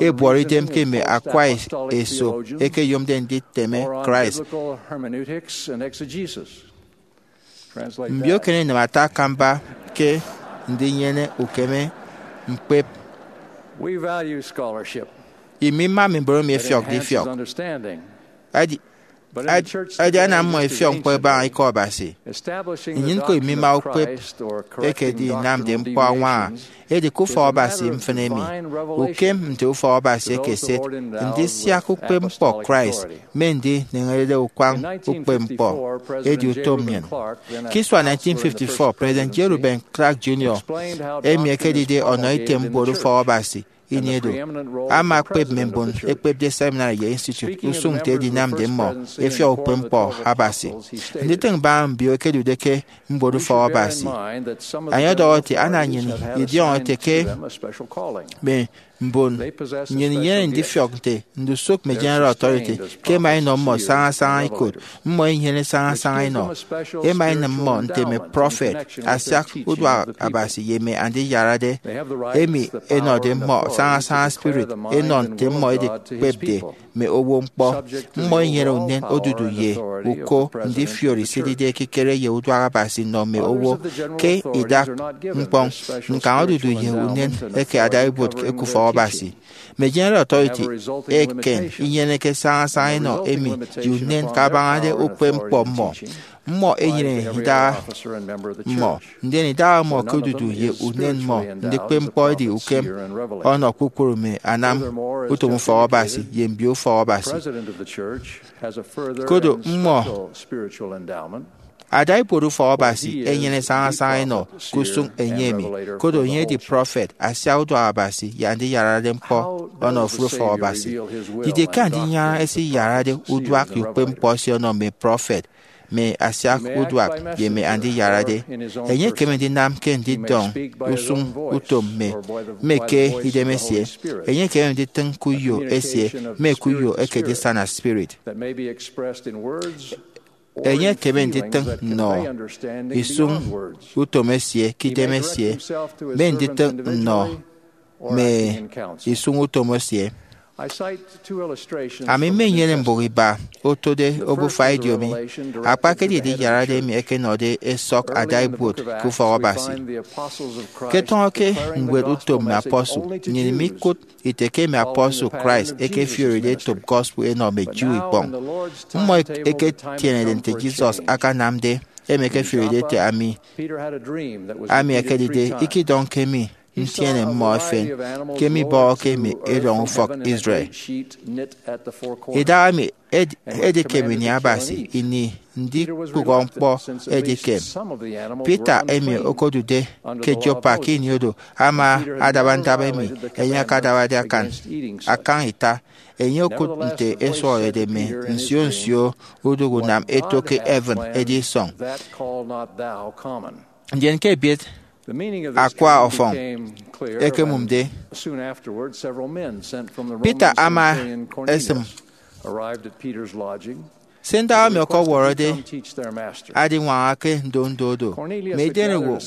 ebuọt idem ke mme akwa eso ẹkeyomde nditeme Christ. Mbio eken inịm ata akamba ke ndinyene ukeme ñkpep. Imima mme mbon emi ẹfiọkde ifiọk. Adi, adi, adi ana mmọ ẹfiọk ñkpọ ẹbaña Ikọ Abasi. Nnyịn ñko imima ukpep ekedi inamde ñkpọ añwaña. Edi ke ufọk Abasi mfịn emi, ukem nte ufọk Abasi ekeset, ndisiak ukpepñkpọ Christ mme ndineñerede ukwañ ukpepñkpọ edi utom nnyịn. Ke isua nineteen fifty-four, President J. Reuben Clark Junior, emi ekedide ọnọ item mbuot ufọk Abasi ini edu, ama akpep mme mbon ekpepde seminary ye institute usụñ nte edinamde mmọ ẹfiọk ukpepñkpọ Abasi. Nditịñ mbaña mbio ẹkedude ke mbuot ufọk Abasi. Enye ọdọhọ ete, ana nnyịn idiọñọ ete ke mme mbon nnyịn inyene ndifiọk nte ndusụk mme General Authority ke ẹma ẹnọ mmọ sañasaña ikot. Mmọ inyene sañasaña inọ. Ẹma ẹnịm mmọ nte mme prọfet asiak uduak Abasi ye mme andiyarade, emi ẹnọde mmọ sañasaña spirit ẹnọ nte mmọ ẹdikpepde mme owo ñkpọ. Mmọ inyene unen odudu ye uko ndifiori se idide ekikere ye uduak Abasi nnọ mme owo. Ke idak ñkpọñ, ñkañ odudu ye unen eke adaibuot ke ufọk Abasi. Mme General Authority eken inyeneke sañasaña inọ emi ye unen kabañade ukpepñkpọ mmọ. Mmọ enyene idaha mmọ, ndien idaha mmọ ke odudu ye unen mmọ ndikpep ñkpọ edi ukem ọnọ kpukpru mme anam utom ufọk Abasi ye mbio ufọk Abasi. Kodo mmọ adaibuot ufọk Abasi enyene sañasaña inọ ke usụñ enye emi. Kodo enye edi prọfet asiak uduak Abasi ye andiyarade ñkpọ ọnọ ofụri ufọk Abasi. Didie ke andinyaña esiyarade uduak ye ukpepñkpọ esie ọnọ mme prọfet, mme asiak uduak, ye mme andiyarade? Enye ekeme ndinam ke ndidọñ usụñ utom mme, mme ke idem esie. Enye ekeme nditịñ ke uyo esie mme ke uyo eke edisana spirit. Enye ekeme nditịñ nnọ isụñ utom esie ke idem esie, mme nditịñ nnọ mme isụñ utom esie. Ami mmenyene mbụk iba otode obufa ediomi, akpakedi ediyarade emi ẹkenọde ẹsọk adaibuot ke ufọk Abasi. Ke tọñọ ke ñwed Utom Mme Apostle, nnyịn mikụt ite ke mme apostle Christ ẹkefioride etop gospel ẹnọ mme Jew ikpọñ. Mmọ ẹketienede nte Jesus akanamde, emi ẹkefioride ete, ami, ami ekedide ikidọñke mi ntiene mmọ efen ke mibọhọke mme erọñ ufọk Israel. Idahaemi edi, edikem ini Abasi, ini ndikpụhọ ñkpọ edikem. Peter, emi okodude ke Joppa ke ini oro, ama adaba ndaba emi enye akadabade akan, akan ita. Enye okụt nte ẹsuhọrede mme nsio nsio udụk unam eto ke heaven edisọñ. Ndien ke ebiet akwa ọfọñ ekemụmde, Peter ama esịm se ndaha emi ọkọwọrọde adiñwaña ke ndo ndo do. Mme idenowo,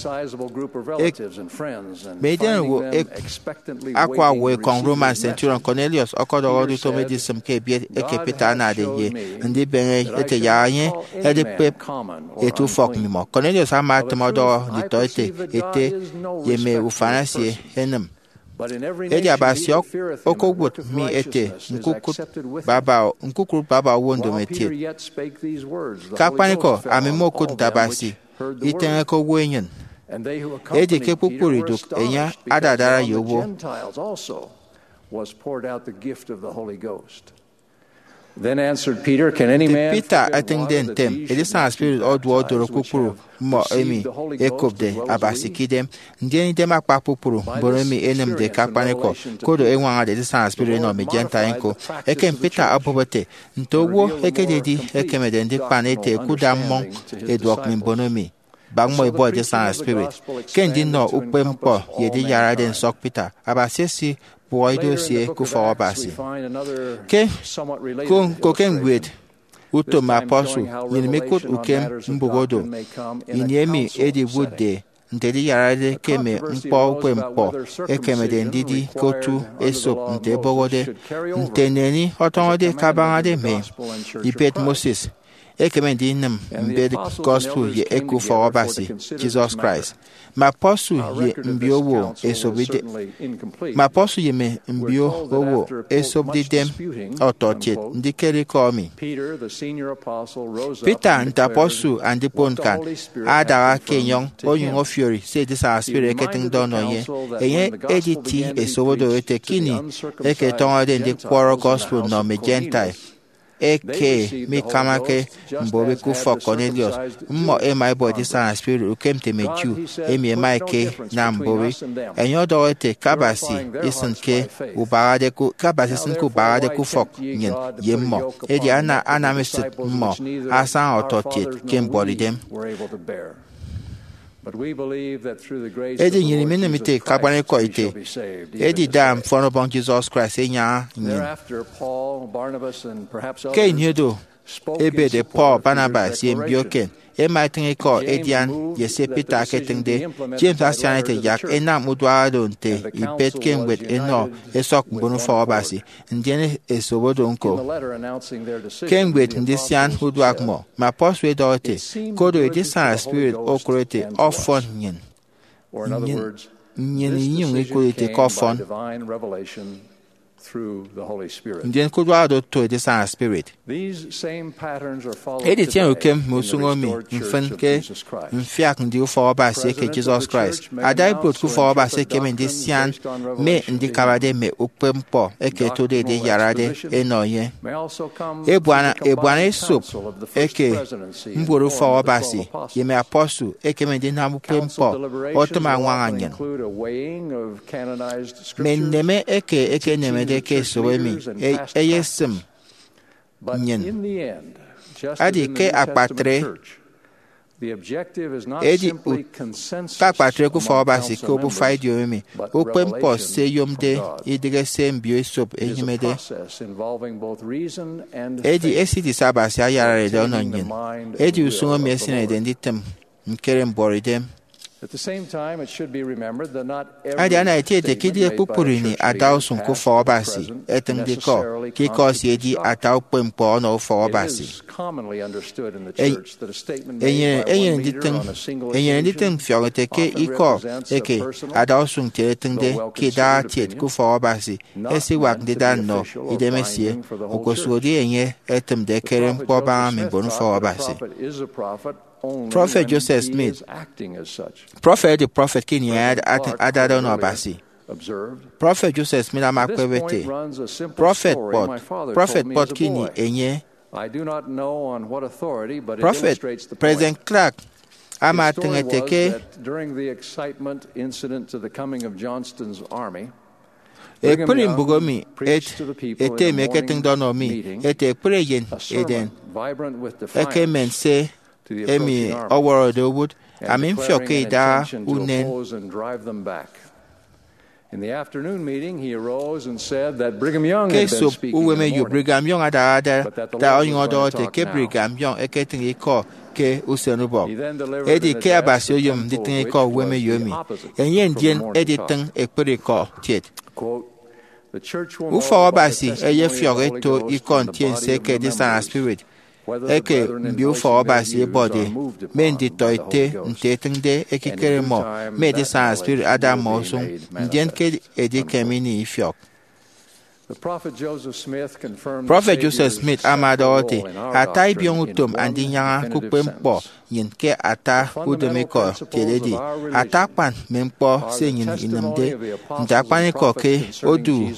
mme idenowo akwa owo ekọñ Roman centurion Cornelius ọkọdọhọde utom edisịm ke ebiet eke Peter anade ye ndibeñe ete yak enye edikpep eti ufọk mmimọ. Cornelius ama etịm ọdọhọ nditọete ete ye mme ufan esie ẹnịm. Edi Abasi okowụt mi ete ñkukụt baba, ñkukụt baba owo ndomokiet. Ke akpanikọ, ami mmokụt nte Abasi iteñeke owo enyịn. Edi ke kpukpru idụk enye adadara ye owo. Nte Peter etịñde ntem, edisana spirit oduọ odoro kpukpru mmọ emi ẹkopde Abasi ke idem, ndien idem akpa kpukpru mbon emi ẹnịmde ke akpanikọ, koro ẹñwañade edisana spirit ẹnọ mme Gentile ñko. Ekem Peter obụp ete, nte owo ekededi ekemede ndikpan ete ẹkuda mmọñ ẹduọk mme mbon emi, bak mmọ ẹbọ edisana spirit. Ke ndinọ ukpepñkpọ ye ediyarade nsọk Peter, Abasi esikpụhọ ido esie ke ufọk Abasi. Ke ko, ñko ke ñwed Utom Apostle, nnyịn mikụt ukem mbụk odo, ini emi ediwụtde nte ediyarade ke mme ñkpọ ukpepñkpọ ekemede ndidi ke otu esop nte ebohode, nte neni ọtọñọde kabañade mme ibet Moses, ekeme ndinịm mbet gospel ye eke ufọk Abasi Jesus Christ. Mme apostle ye mbiowo esopde, mme apostle ye mme mbiowo esopde idem ọtọkiet ndikere ikọ emi. Peter, nte apostle andikpon ñkan, adaha ke enyọñ onyụñ ọfiori se edisana spirit eketịñde ọnọ enye. Enye editi esop odo ete ke ini eke ẹtọñọde ndikwọrọ gospel nnọ mme Gentile eke mikamake mbori ke ufọk Cornelius, mmọ ẹma ẹbọ edisana spirit ukem nte mme Jew emi ẹma ẹkenam mbori. Enye ọdọhọ ete ke Abasi isịnke ubahade ku, ke Abasi isịnke ubahade ke ufọk nnyịn ye mmọ, edi ana anam esịt mmọ asaña ọtọkiet ke mbuọtidem. Edi nnyịn iminịm ite ke akpanikọ ete, edida mfọn Ọbọñ Jesus Christ enyaña nnyịn. Ke ini edo, ebede Paul, Barnabas, ye mbio eken ẹma ẹtịñ ikọ ẹdian ye se Peter eketịñde. James asian ete yak ẹnam uduak oro nte ibet ke ñwed ẹnọ ẹsọk mbon ufọk Abasi, ndien esop odo ñko. Ke ñwed ndisian uduak mmọ, mme apostle ẹdọhọ ete, koro edisana spirit okụre ete ọfọn nnyịn, nnyịn, nnyịn inyụñ ikụt ete ke ọfọn, ndien ke uduak oro oto edisana spirit. Editiene ukem mme usụñ emi mfịn ke mfiak ndi ufọk Abasi eke Jesus Christ. Ada ibuot ke ufọk Abasi ekeme ndisian mme ndikabade mme ukpepñkpọ eke ẹtode ediyarade ẹnọ enye. Ebuana, ebuana esop eke mbuot ufọk Abasi ye mme apostle ekeme ndinam ukpepñkpọ otịm añwaña nnyịn. Mme nneme eke ekenemede ke esop emi e- eyesịm nnyịn. Edi ke akpatre, edi ke akpatre ke ufọk Abasi ke obufa idiom emi, ukpepñkpọ se ẹyomde idịghe se mbio esop ẹnyịmede. Edi esidi se Abasi ayararede ọnọ nnyịn, edi usụñ emi esineñede nditịm ñkere mbuọtidem. Adi ana etieti ke idịghe kpukpru ini adausụñ ke ufọk Abasi etịñde ikọ, ke ikọ esie edi ata ukpepñkpọ ọnọ ufọk Abasi. Enyene, enyene nditịñ, enyene nditịñ mfiọk ete ke ikọ eke adausụñ kiet etịñde ke idaha kiet ke ufọk Abasi esiwak ndida nnọ idemesie, okposụkedi enye etịmde ekere ñkpọ ẹbaña mme mbon ufọk Abasi. Prọfet Joseph Smith, prọfet edi prọfet ke ini enye ad- ad- adade ọnọ Abasi. Prọfet Joseph Smith ama akpep ete, prọfet kpọt, prọfet kpọt ke ini enye. Prọfet President Clark ama atịñ ete ke ekpri mbụk emi et- ete emi eketịñde ọnọ mi ete ekpri eyen eden ekemen se emi ọwọrọde owụt, ami mfiọk ke idaha unen. Ke esop uwemeyo, Brigham Young adahade da onyụñ ọdọhọ ete ke Brigham Young eketịñ ikọ ke usenubọk. Edi ke Abasi oyom nditịñ ikọ uwemeyo emi, enye ndien editịñ ekpri ikọ kiet. Ufọk Abasi eyefiọk eto ikọ ntiense eke edisana spirit eke mbio ufọk Abasi ẹbọde, mme nditọete nte etịñde ekikere mmọ, mme edisana spirit ada mmọ usụñ, ndien ke edikem ini ifiọk. Prọfet Joseph Smith ama ọdọhọ ete, ata ibiọñutom Andinyaña ke ukpepñkpọ nnyịn ke ata udịmikọ kiet edi ata akpan mme ñkpọ se nnyịn inịmde nte akpanikọ ke odu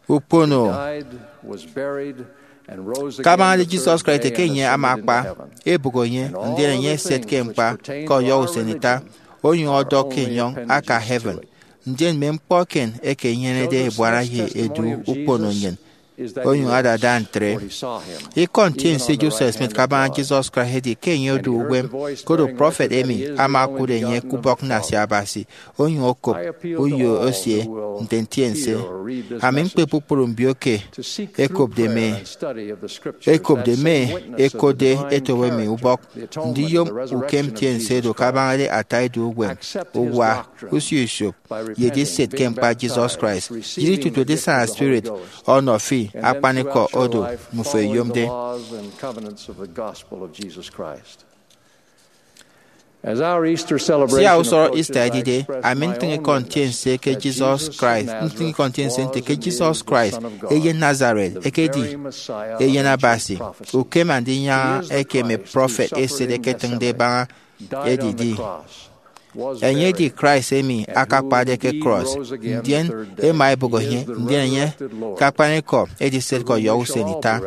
ukpono. Kabaña Jesus Christ eke enye ama akpa, ebụk enye, ndien enye eset ke ñkpa ke ọyọhọ usen ita, onyụñ ọdọk ke enyọñ aka heaven. Ndien mme ñkpọ eken eke inyenede ebuana ye edu ukpono nnyịn onyụñ adada ntre. Ikọ ntiense Joseph Smith kabaña Jesus Christ edi ke enye odu uwem, koro prọfet emi ama okụt enye ke ubọk nnasia Abasi, onyụñ okop uyo esie nte ntiense. Ami ñkpe kpukpru mbio ke ekopde mme ekopde mme ekotde etobo emi ubọk, ndiyom ukem ntiense oro kabañade ata ido uwem, uwa, usio isop, ye ediset ke ñkpa Jesus Christ. Diri tutu edisana spirit ọnọ fi akpanikọ oro mmufo eyomde. Sia usọrọ Easter edide, ami ntịñ ikọ ntiense ke Jesus Christ, ntịñ ikọ ntiense nte ke Jesus Christ, eyen Nazareth, ekedi eyen Abasi, ukem andinyaña eke mme prọfet eset ẹketịñde ẹbaña edidi. Enye edi Christ emi akakpade ke cross, ndien ẹma ẹbụk enye, ndien enye ke akpanikọ ediset ke ọyọhọ usen ita.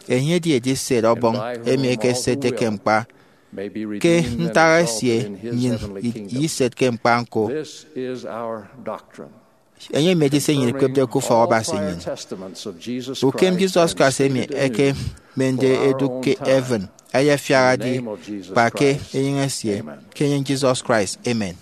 Enye edi ediset Ọbọñ emi ekesetde ke ñkpa. Ke ntak esie, nnyịn idiset ke ñkpa ñko. Enye emi edi se nnyịn ikpepde ke ufọk Abasi nnyịn. Ukem Jesus Christ emi ẹkemende ẹdụk ke heaven ayafiaha-di kpa ke enyịñ esie, ke enyịñ Jesus Christ. Amen.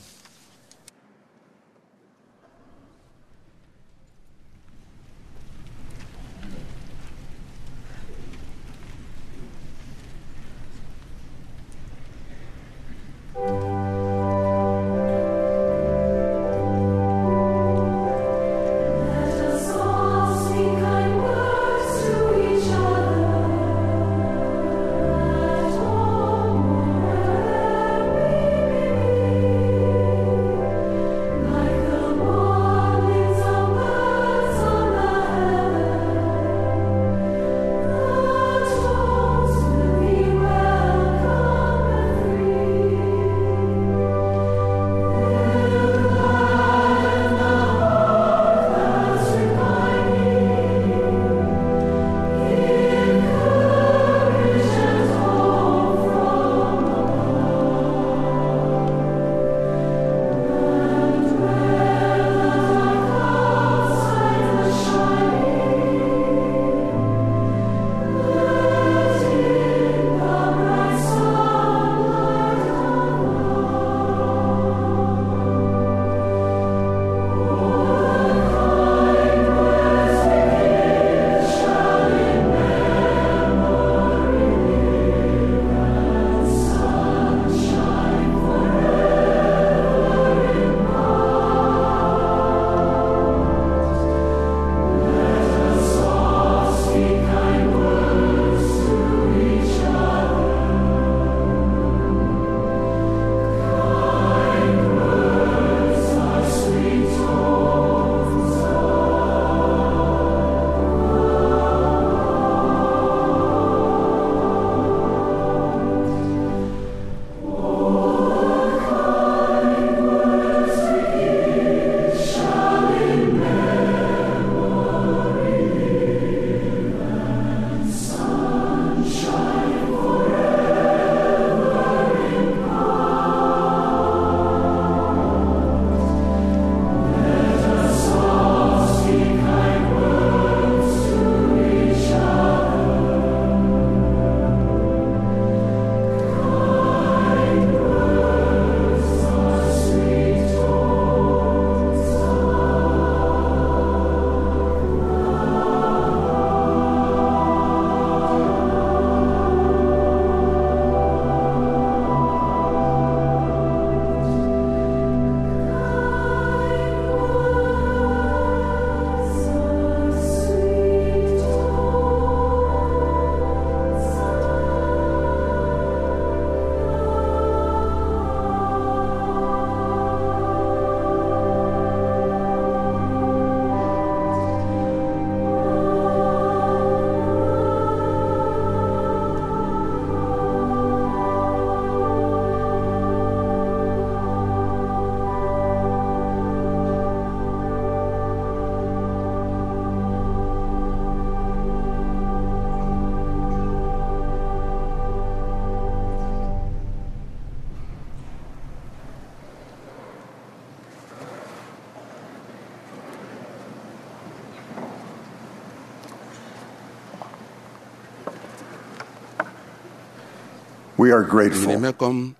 We are grateful Nnyịn imekọm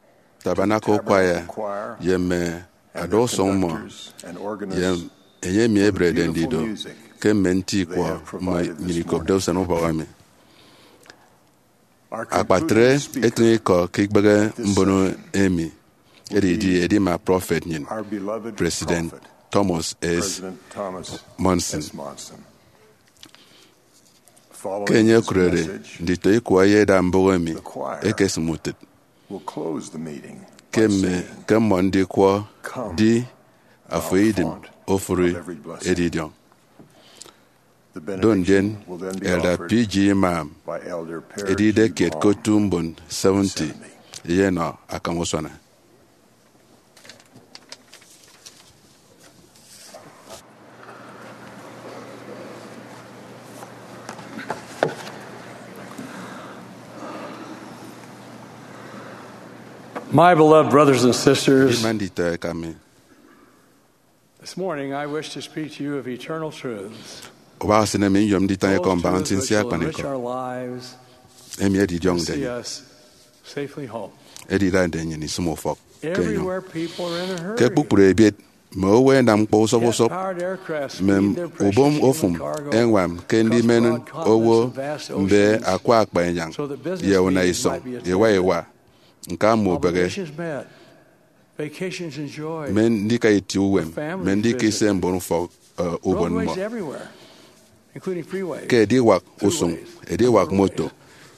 Tabernacle Choir ye mme ada usụñ mmọ ye enye emi eberede ndido ke mme nti ikwọ mmọ nnyịn ikopde usen ubọk emi. Akpatre etịñ ikọ ke ikpehe mbono emi edidi edima prọfet nnyịn, President Thomas S. Monson. Ke enye okurede nditọ ikwọ ye eda mbụk emi ekesịm utịt ke mme ke mmọ ndikwọ, di afo idịm ofụri edidiọñ. Do ndien Elder P G Imam edide kiet ke otu mbon seventy eyenọ akam usuana. My beloved brothers and sisters, Ima nditọ eka mi. This morning I wish to speak to you of eternal truths. Ubak esịne mi nyom nditọ eko mbaña nsinsi akpanikọ emi edidiọñde nnyịn, edida nde nnyịn isịm ufọk ke enyọñ. Ke kpukpru ebiet, mme owo ẹnam ñkpọ usọp usọp. Mme ubom ofụm ẹñwam ke ndimen owo mbe akwa akpa enyañ ye una isọñ iwa iwa, ñka mme ubịghi, mme ndika itie uwem, mme ndika ise mbon ufọk, eh, ubon mmọ. Ke ediwak usụñ, ediwak moto,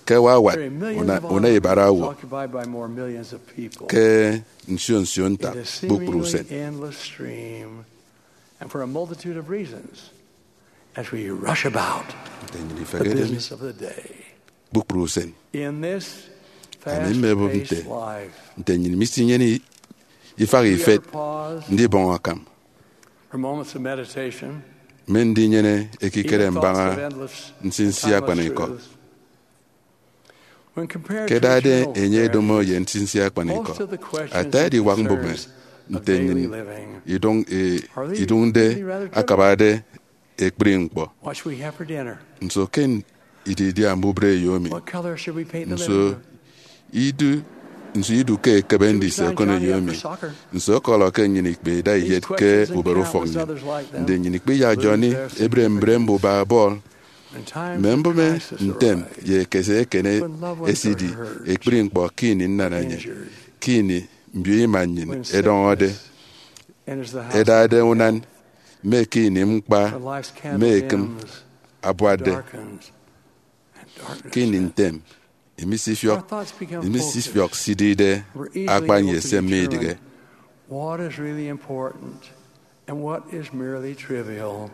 ke wawat una, una ibara owo ke nsio nsio ntak kpukpru usen. And for a multitude of reasons, as we rush about the business of the day. Kpukpru usen, ami mmebụp nte, nte nnyịn misinyene ifak ifet ndibọñ akam, mme ndinyene ekikere mbaña nsinsi akpanikọ. Ke ẹdade enye ẹdomo ye nsinsi akpanikọ, ata ediwak mbụme nte nnyịn idụñ, e, idụñde akabade ekpri ñkpọ. Nso ke ididia mbubre eyo mi? Nso idu, nso idu ke ekebe ndise okoneyo mi? Nso ọkọlọ ke nnyịn ikpe ida iyet ke ubere ufọk nnyịn? Ndi nnyịn ikpe iyak Johnny ebre mbre mbuba bọl? Mme mbụme ntem ye ekese eken esidi ekpri ñkpọ ke ini nnanaenye, ke ini mbio ima nnyịn ẹdọñọde, ẹdade unan, mme ke ini ñkpa mme ekịm abuatde. Ke ini ntem, imisifiọk, imisifiọk sidide akpan ye se midịghe. What is really important and what is merely trivial.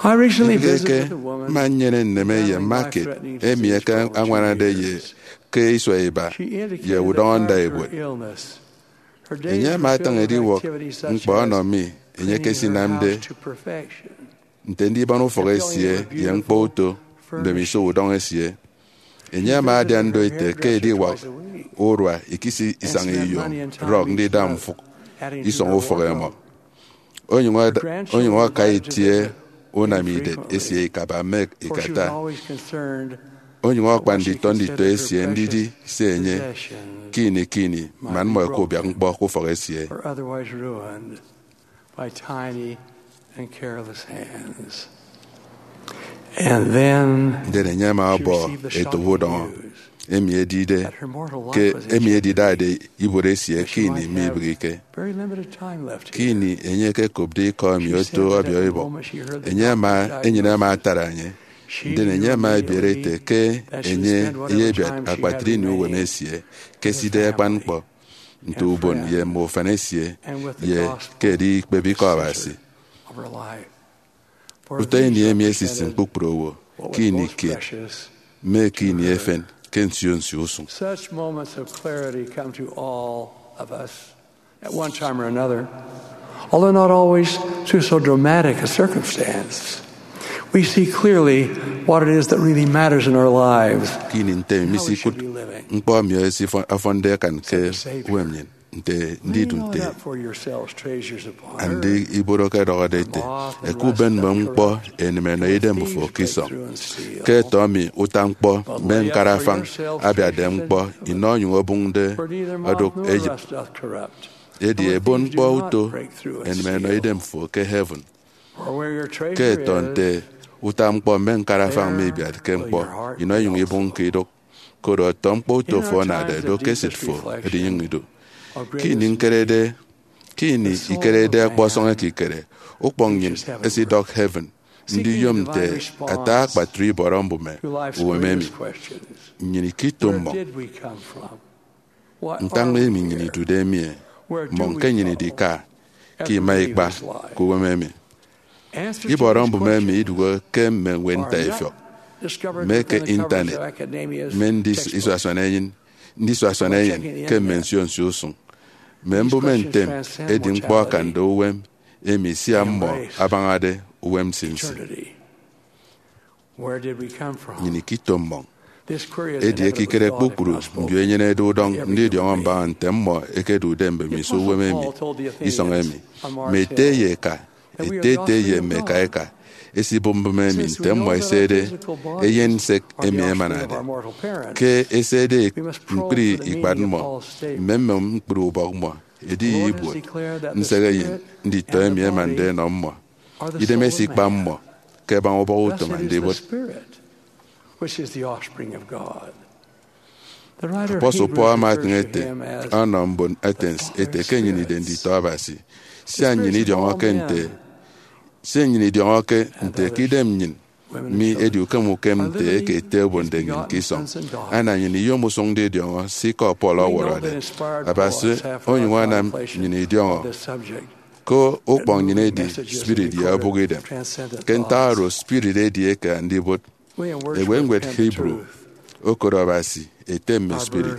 I recently Idịghe visited ke with a woman mma nnyene nneme ye mma kiet emi eke añwanade ye ke isua iba ye udọñọ nda ebuot. Enye ama atañ ediwọk ñkpọ ọnọ mi enye ekesinamde nte ndibọñ ufọk esie ye ñkpọ uto mbemiso udọñ esie. Enye ama adian do ete ke ediwak urua ikisi isañ iyom rock ndida mfụk isọñ ufọk ẹmọ. Onyụñ ada, onyụñ aka itie unamidet esie ikaba mme ikata. Onyụñ ọkpa nditọ nditọ esie ndidi se enye ke ini ke ini man mmọ ẹkubiak ñkpọ ke ufọk esie. By tiny and careless hands. And then Ndien enye ama ọbọ etobo udọñọ, emi edide ke emi edidade ibuot esie ke ini mibịghike. Ke ini enye ekekopde ikọ emi oto ọbiọibọk, enye ama, enyịn ama atara enye. Ndien enye ama ebiere ete ke enye eyebiat akpatre ini uwem esie ke eside akpan ñkpọ nte ubon ye mme ufan esie, ye ke edi ikpep ikọ Abasi. Utọ ini emi esisịm kpukpru owo ke ini kiet, mme ke ini efen, ke nsio nsio usụñ. Such moments of clarity come to all of us at one time or another, although not always through so dramatic a circumstance. We see clearly what it is that really matters in our lives. Ke ini ntem, misikụt ñkpọ emi esifọ-, ọfọnde akan ke uwem nnyịn. nte ndidu nte. Andi ibuot ọkọdọhọde ete, eke uben mme ñkpọ enem enọ idem fo ke isọñ, ke ẹtọ mi uta ñkpọ mme ñkarafañ abiatde ñkpọ inọ onyụñ obụñde odụk eyịp. Edi ebon ñkpọ uto enem enọ idem fo ke heaven. Ke ẹtọ nte uta ñkpọ mme ñkarafañ mibiatke ñkpọ inọ inyụñ ibụñke idụk, koro ọtọ ñkpọ uto fo anade do ke esịt fo edinyụñ idu. Ke ini ñkerede, ke ini ikerede ọkpọsọñ ekikere, ukpọñ nnyịn esidọk heaven ndiyom nte ata akpatre ibọrọ mbụme uwem emi. Nnyịn ikito mmọñ. Ntak emi nnyịn idude emi, e? Mmọñ ke nnyịn idika ke ima ikpa ke uwem emi. Ibọrọ mbụme emi idụhe ke mme ñwed ntaifiọk, mme ke intanet, mme ndis-, isuasuan enyịn, ndisuasuan enyịn ke mme nsio nsio usụñ. Mme mbụme ntem edi ñkpọ akande uwem emi sia mmọ abañade uwem nsinsi. Nnyịn ikito mmọñ. Edi ekikere kpukpru mbio ẹnyenede udọñ ndidiọñọ mbaña nte mmọ ẹkedude mbemiso uwem emi, isọñ emi. Mme ete ye eka, ete ete ye mme eka eka, ẹsibụp mbụme emi nte mmọ ẹsede eyen nsek emi ẹmanade. Ke ẹsede ñkpri ikpat mmọ, mme mme ñkpri ubọk mmọ, ediye ibuot nsek eyen nditọ emi ẹmande ẹnọ mmọ. Idem esikpa mmọ ke ẹbaña ubọk utom Andibot. Apostle Paul ama etịñ ete ọnọ mbon Athens ete ke nnyịn ide nditọ Abasi, sia nnyịn idiọñọke nte, sia nnyịn idiọñọke nte ke idem nnyịn mi edi ukem ukem nte eke ete obonde nnyịn ke isọñ. Ana nnyịn iyom usụñ ndidiọñọ se ikọ Paul ọwọrọde. Abasi onyụñ anam nnyịn idiọñọ ke ukpọñ nnyịn edi spirit ye obụk idem. Ke ntak oro, spirit edi eke Andibot. Ewe ñwed Hebrew okot Abasi ete mme spirit.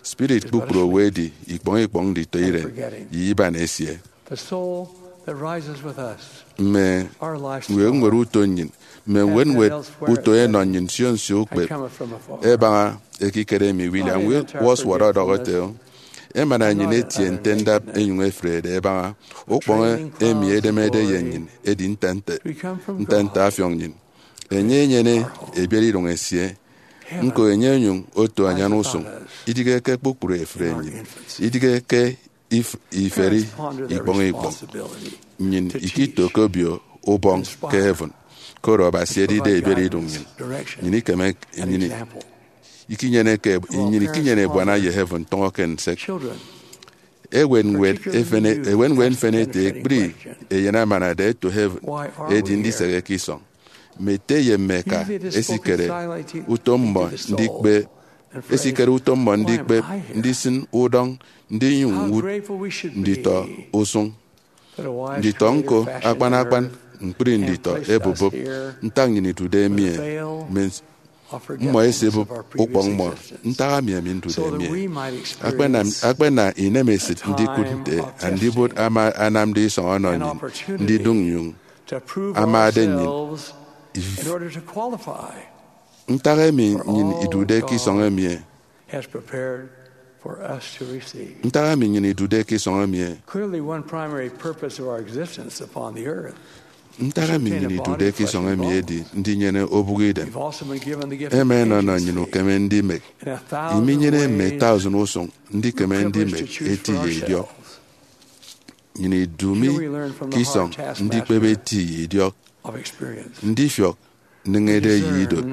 Spirit kpukpru owo edi ikpọñ ikpọñ nditọ iren ye iban esie. Mme ñwed ñwed uto nnyịn, mme ñwed ñwed uto ẹnọ nnyịn nsio nsio ukpep ẹbaña ekikere emi. William Wordsworth ọdọhọ ete, emana nnyịn etie nte ndap ẹnyụñ ẹfrede ẹbaña ukpọñ emi edemede ye nnyịn edi nte nte, nte nte afiọk nnyịn. Enye enyene ebiereidụñ esie. Ñko enye onyụñ oto anyan usụñ, idịghe ke kpukpru efre nnyịn, idịghe ke if-, iferi ikpọñ ikpọñ. Nnyịn ikito ke obio ubọñ ke heaven, koro Abasi edide ebiereidụñ nnyịn. Nnyịn ikeme, nnyịn ikinyene ke, nnyịn ikinyene ebuana ye heaven tọñọ ke nsek. Ewen ñwed efen, ewen ñwed mfen ete ekpri eyen amanade ẹto heaven edi ndisehe ke isọñ. Mme ete ye mme eka esikere utom mmọ ndikpe, esikere utom mmọ ndikpep, ndisịn udọñ, ndinyụñ ñwụt nditọ usụñ. Nditọ ñko, akpan akpan ñkpri nditọ ẹbụbụp ntak nnyịn idude emi, e, mme mmọ ẹsibụp ukpọñ mmọ, ntak emi ami ndude emi. Akpana, akpana inemesịt ndikụt nte Andibot ama anamde isọñ ọnọ nnyịn ndidụñ nnyụñ amade nnyịn. If-, ntak emi nnyịn idude ke isọñ emi, e? Ntak emi nnyịn idude ke isọñ emi, e? Ntak emi nnyịn idude ke isọñ emi edi ndinyene obụk idem. Ẹma ẹnọnọ nnyịn ukeme ndimek. Iminyene mme tausin usụñ ndikeme ndimek eti ye idiọk. Nnyịn idu mi ke isọñ ndikpep eti ye idiọk, ndifiọk nneñede ye idot,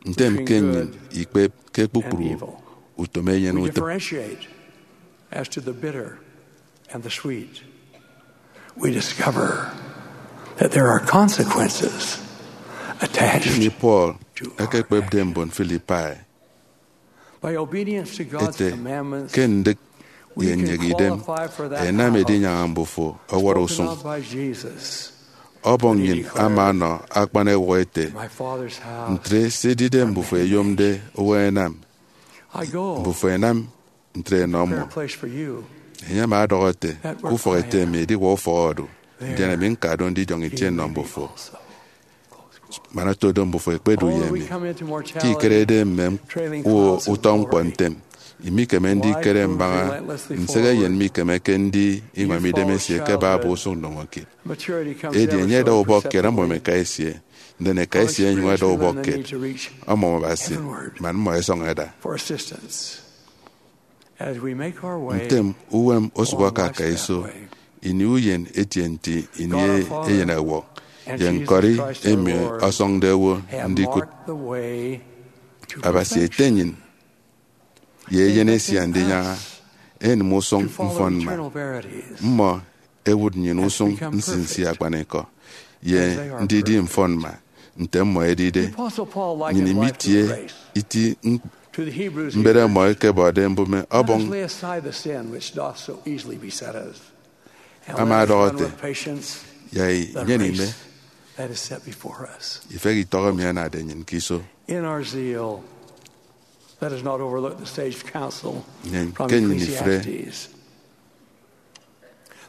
ntem ke nnyịn ikpep ke kpukpru utom eyen utịp. Ini Paul ekekpepde mbon Philippi ete, ke ndịk ye nnyek idem ẹnam edinyaña mbufo ọwọrọ usụñ. Ọbọñ nnyịn ama ọnọ akpan ewụhọ ete, ntre se edide mbufo ẹyomde owo ẹnam, mbufo ẹnam ntre ẹnọ mmọ. Enye ama ọdọhọ ete, ke ufọk ete mi ediwak ufọk odu, ndien ami ñka do ndidiọñ itie nnọ mbufo. Man oto do mbufo ẹkpedu ye mi. Ke ikerede mme u-, utọ ñkpọ ntem, Imikeme ndikere mbaña nsehe eyen mikemeke ndi iñwam idem esie ke Bible usụñ ndomokiet. Edi enye ada ubọk kiet ọmọm eka esie, ndien eka esie enyụñ ada ubọk kiet ọmọm Abasi, man mmọ ẹsọñ ẹda. Ntem, uwem osụk aka aka iso. Ini uyen etie nti ini eyen ẹwọk, ye ñkọri emi ọsọñde owo ndikụt. Abasi ete nnyịn ye eyen esie andinyaña, enịm usụñ mfọnmma. Mmọ ẹwụt nnyịn usụñ nsinsi akpanikọ ye ndidi mfọnmma nte mmọ ẹdide. Nnyịn imitie iti mbet mmọ ẹkebọde mbụme ọbọñ. Ama ọdọhọ ete, ya inyene ime ifehe itọk emi anade nnyịn ke iso. Nnyịn ke nnyịn ifre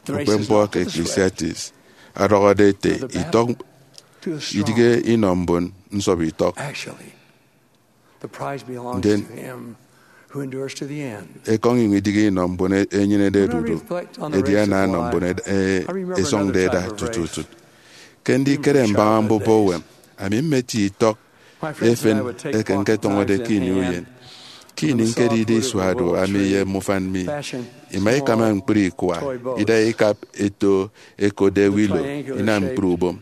ukpepñkpọ ke Ecclesiastes ọdọhọde ete, itọk idige inọ mbon nsọp itọk. Ndien ekọñ iñwam idige inọ mbon enyenede odudu, edi ana anọ mbon esọñde eda tututu. Ke ndikere mbaña mbuba uwem, ami mmetie itọk efen eke ñketọñọde ke ini uyen. Ke ini ñkedide isua do, ami ye mme ufan mi ima ikama ñkpri ikua ida ikap eto ẹkotde Willow inam ñkpri ubom.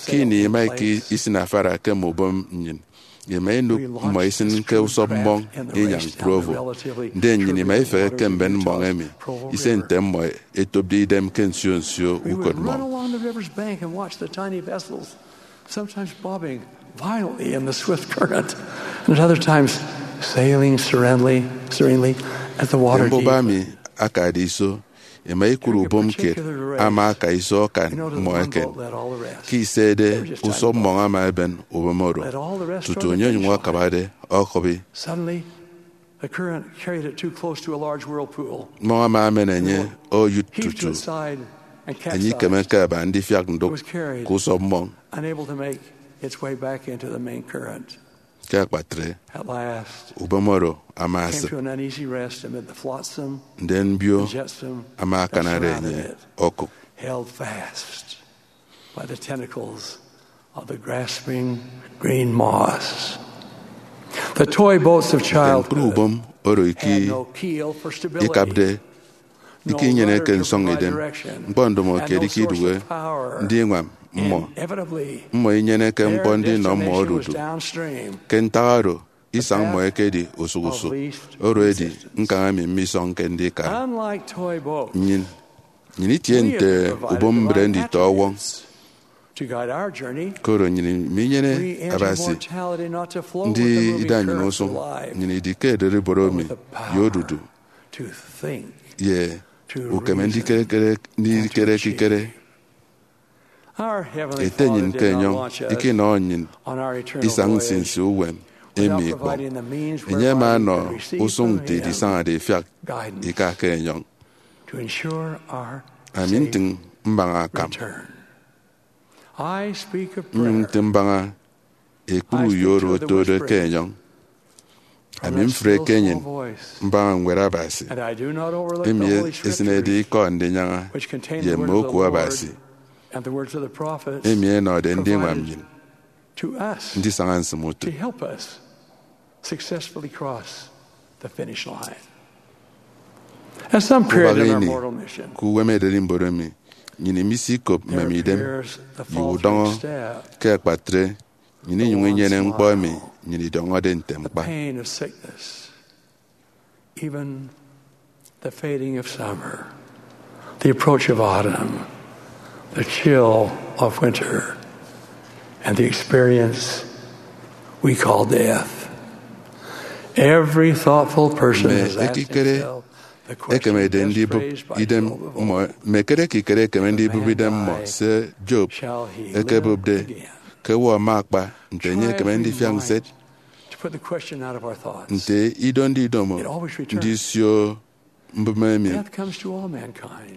Ke ini ima isinafara ke mme ubom nnyịn, ima inụk mmọ isịn ke usọp mmọñ inyañ Provo. Ndien nnyịn ima ifehe ke mben mmọñ emi ise nte mmọ ẹtopde idem ke nsio nsio ukot mmọñ. Sometimes bobbing violently in the swift current, and at other times sailing serenely, serenely at the water deep. Mbuba mi akade iso, ima ikụre ubom kiet ama aka iso akan mmọ eken. Ke isede usọp mmọñ ama eben ubom oro tutu enye onyụñ akabade okụbi. Suddenly, the current carried it too close to a large whirlpool. Mmọñ ama emen enye oyụt tutu enye ikemeke aba ndifiak ndụk ke usọp mmọñ. Unable to make its way back into the main current. Ke akpatre, ubom oro ama asịp, ndien mbio ama akanare enye okụk. Held fast by the tentacles of the grasping green moss. The toy boats of childhood. Ñkpri ubom oro iki ikapde, iki inyeneke nsọñ idem. Ñkpọ ndomo kiet iki iduhe ndiñwam mmọ. Mmọ inyeneke ñkpọ ndinọ mmọ odudu. Ke ntak oro, isañ mmọ ekedi usụk usụk. Oro edi ñkañ emi mmisọñke ndika. Nnyịn, nnyịn itie nte ubom mbre nditọ ọwọñ. Koro nnyịn minyene Abasi ndida nnyịn usụñ. Nnyịn idi ke ererimbot emi ye odudu ye ukeme ndikere ekikere. Ete nnyịn ke enyọñ ikinọ nnyịn isañ nsinsi uwem emi ikpọñ. Enye ama ọnọ usụñ nte idisañade ifiak ika ke enyọñ. Ami ntịñ mbaña akam. Nnyụñ ntịñ mbaña ekpri uyo oro otode ke enyọñ. Ami mfreke nnyịn mbaña Ñwed Abasi emi esịnede ikọ ndinyaña ye mme oku Abasi emi ẹnọde ndiñwam nnyịn ndisaña nsịm utịt. Ubak ini, ke uwem ererimbot emi, nnyịn imisikop mmem idem ye udọñọ. Ke akpatre, nnyịn inyụñ inyene ñkpọ emi nnyịn idọñọde nte ñkpa. Even the fading of summer, the approach of autumn, the chill of winter, and the experience we call death. Every thoughtful person has asked himself the question best phrased by Job of all. Mme ekikere ekeme ndibụp idem mmọ, se Job ekebụpde, ke owo ama akpa, nte enye ekeme ndifiak nset? Nte ido ndidomo ndisio mbụme emi?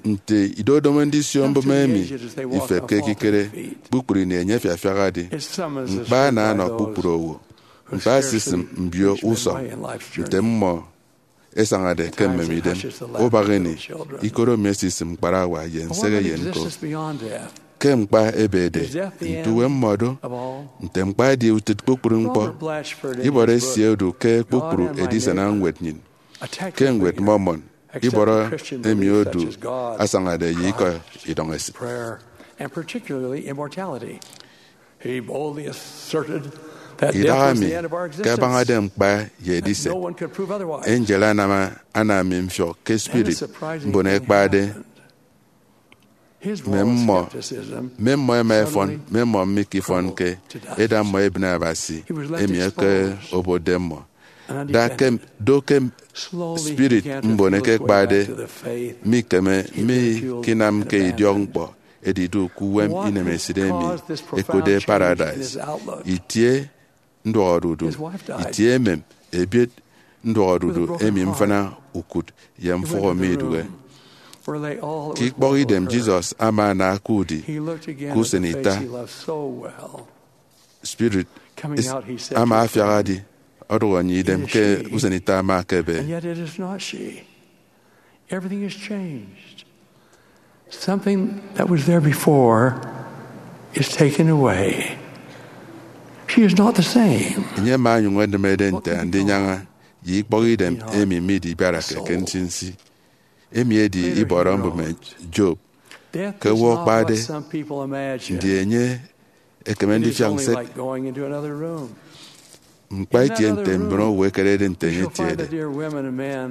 Nte idodomo ndisio mbụme emi ifepke ekikere? Kpukpru ini enye afiafiak edi. Ñkpa ana ọnọ kpukpru owo. Ñkpa esisịm mbio usọñ nte mmọ esañade ke mmem idem. Ubak ini, ikoro mi esisịm ñkparawa ye nsehe ye ñko. Ke ñkpa ebede, nte uwem mmọ do? Nte ñkpa edi utịt kpukpru ñkpọ? Ibọrọ esie odu ke kpukpru edisana ñwed nnyịn. Ke ñwed Mormon, ibọrọ emi odu asañade ye ikọ idọñ esịt. Idaha mi, ke abañade ñkpa ye ediset, angel anam, anam mi mfiọk ke spirit mbon ẹkpade. Mme mmọ, mme mmọ ẹma ẹfọn, mme mmọ mikifọnke, eda mmọ ebịne Abasi, emi eke obotde mmọ. Da ke, do ke spirit mbon eke ẹkpade mikeme, mikinamke idiọk ñkpọ edidu ke uwem inemesịt emi ẹkotde paradise. Itie nduọkodudu, itie emem, ebiet nduọkodudu emi mfịna ukụt ye mfụhọ midụhe. Ke ikpọkidem, Jesus ama ana ke udi ke usen ita. Spirit ama afiak adi, ọdụk enye idem ke usen ita ama akebe. Everything has changed. Something that was there before is taken away. She is not the same. Enye ama onyụñ edịmede nte andinyaña ye ikpọkidem emi midibiarake ke nsinsi. Emi edi ibọrọ mbụme Job. Ke owo akpade, ndi enye ekeme ndifiak nset? Ñkpa itie nte mbon owo ẹkerede nte enye etiede.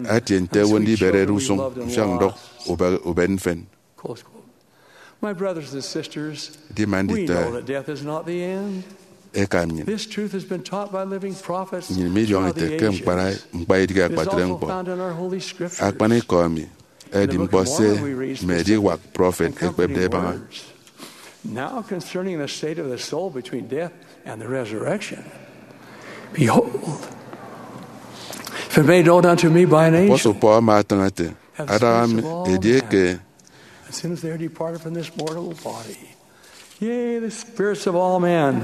Atie nte owo ndiberede usụñ mfiak ndọk ubet mfen. Edima nditọ eka nnyịn, nnyịn midiọñọ ete ke ñkpa, ñkpa idịghe akpatre ñkpọ. Akpanikọ emi edi ñkpọ se mme ediwak prọfet ẹkpepde ẹbaña. Now concerning the state of the soul between death and the resurrection. Behold, if it made known unto me by an angel, Apostle Paul ama atịñ ete, adaña mi edieke, as soon as they are departed from this mortal body, yea, the spirits of all men,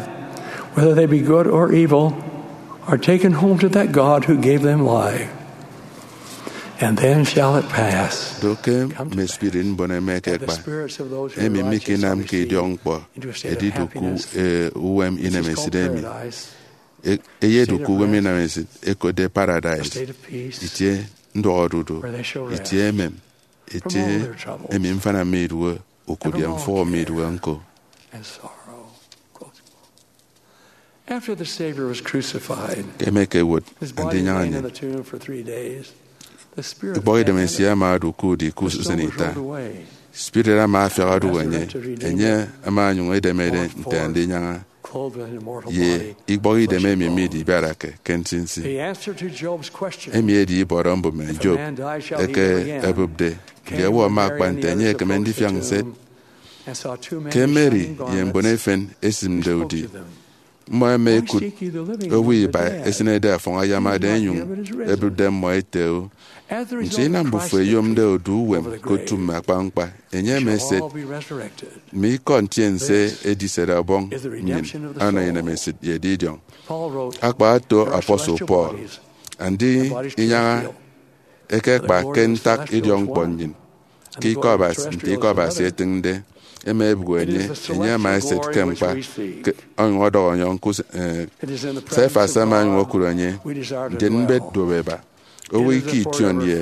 whether they be good or evil, are taken home to that God who gave them life. And then shall it pass, Do ke mme spirit mbon emi ẹkekpa, emi mikinamke idiọk ñkpọ, edidu ke uwem inemesịt emi, e- eyedu ke uwem inemesịt ẹkotde paradise, itie nduọkodudu, itie emem, itie emi mfana midụhe, ukụt ye mfụhọ midụhe ñko. After the Savior was crucified, ke emekewot andinyaña nnyịn, ikpọkidem esie ama odu ke udi ke usen ita. Spirit ama afiak odụk enye, enye ama onyụñ edemede nte andinyaña ye ikpọkidem emi midibiarake ke nsinsi. Emi edi ibọrọ mbụme Job eke ẹbụpde. Ndi owo ama akpa nte enye ekeme ndifiak nset? Ke Mary ye mbon efen esịmde udi, mmọ ẹma ẹkụt owo iba esịnede afọñ ayamade ẹnyụñ ẹbụpde mmọ ẹte, o, nso inam mbufo ẹyomde odu uwem ke otu mme akpañkpa? Enye ama eset. Mme ikọ ntiense ediset ọbọñ nnyịn ọnọ inemesịt ye edidiọñ. Akpa oto apostle Paul, andinyaña ẹkekpa ke ntak idiọkñkpọ nnyịn ke ikọ Abasi. Nte ikọ Abasi etịñde, ẹma ẹbụk enye, enye ama eset ke ñkpa, ke onyụñ ọdọhọ ọnyọñ ke us- eh, Cephas ama onyụñ okụt enye, ndien mbet duop ẹba. Owo eke ition ye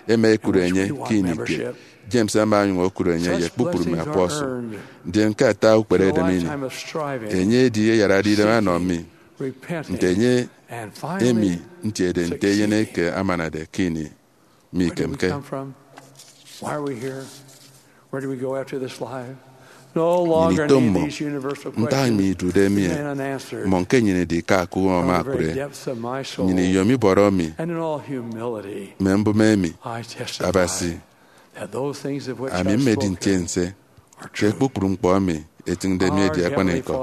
ẹma ẹkụt enye ke ini kiet. James ama onyụñ okụt enye ye kpukpru mme apostle. Ndien ke ata ukpere edem ini, enye edi eyarade idem anọ mi, nte enye emi ntiede nte eyen eke amanade ke ini mikemke. Where do we go after this life? No longer need these universal questions. Ntak mi idude mi, mmọ ke nnyịn idi ke akụk ama akụre. Nnyịn iyom ibọrọ mi, mme mbụme emi, Abasi, ami mmedi ntiense ke kpukpru ñkpọ emi etịñde mi edi akpanikọ.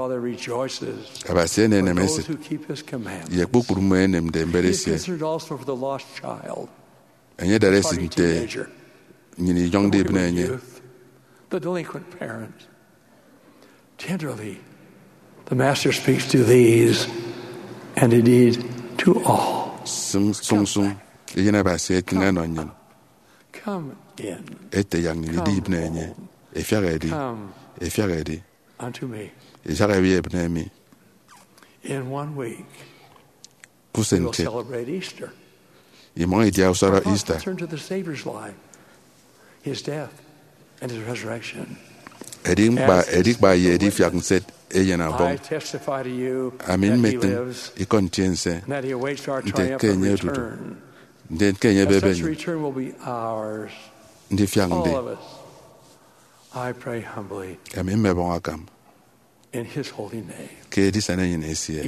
Abasi enenem esịt ye kpukpru mmọ enemde mbet esie. Enye edara esịt nte nnyịn inyọñde ibịne enye. The delinquent parent. Tenderly, the Master speaks to these, and indeed to all. Sụñsụñ, Eyen Abasi etịñ enọ nnyịn, ete yak nnyịn idibịne enye. Efiak edi, efiak edi, yak ẹbi ebịne mi. Ke usen kiet, imọñ idia usọrọ Easter. Edi ñkpa, edi kpa ye edifiak nset Eyen Ọbọñ. Ami mmetịñ ikọ ntiense nte ke enye odudu, ndien ke enye ebebe nnyịn ndifiak ndi. Ami mmebọñ akam ke edisen enyịn esie,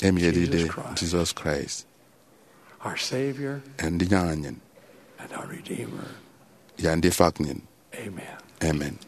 emi edide Jesus Christ, Andinyaña nnyịn, ye Andifak nnyịn. Amen.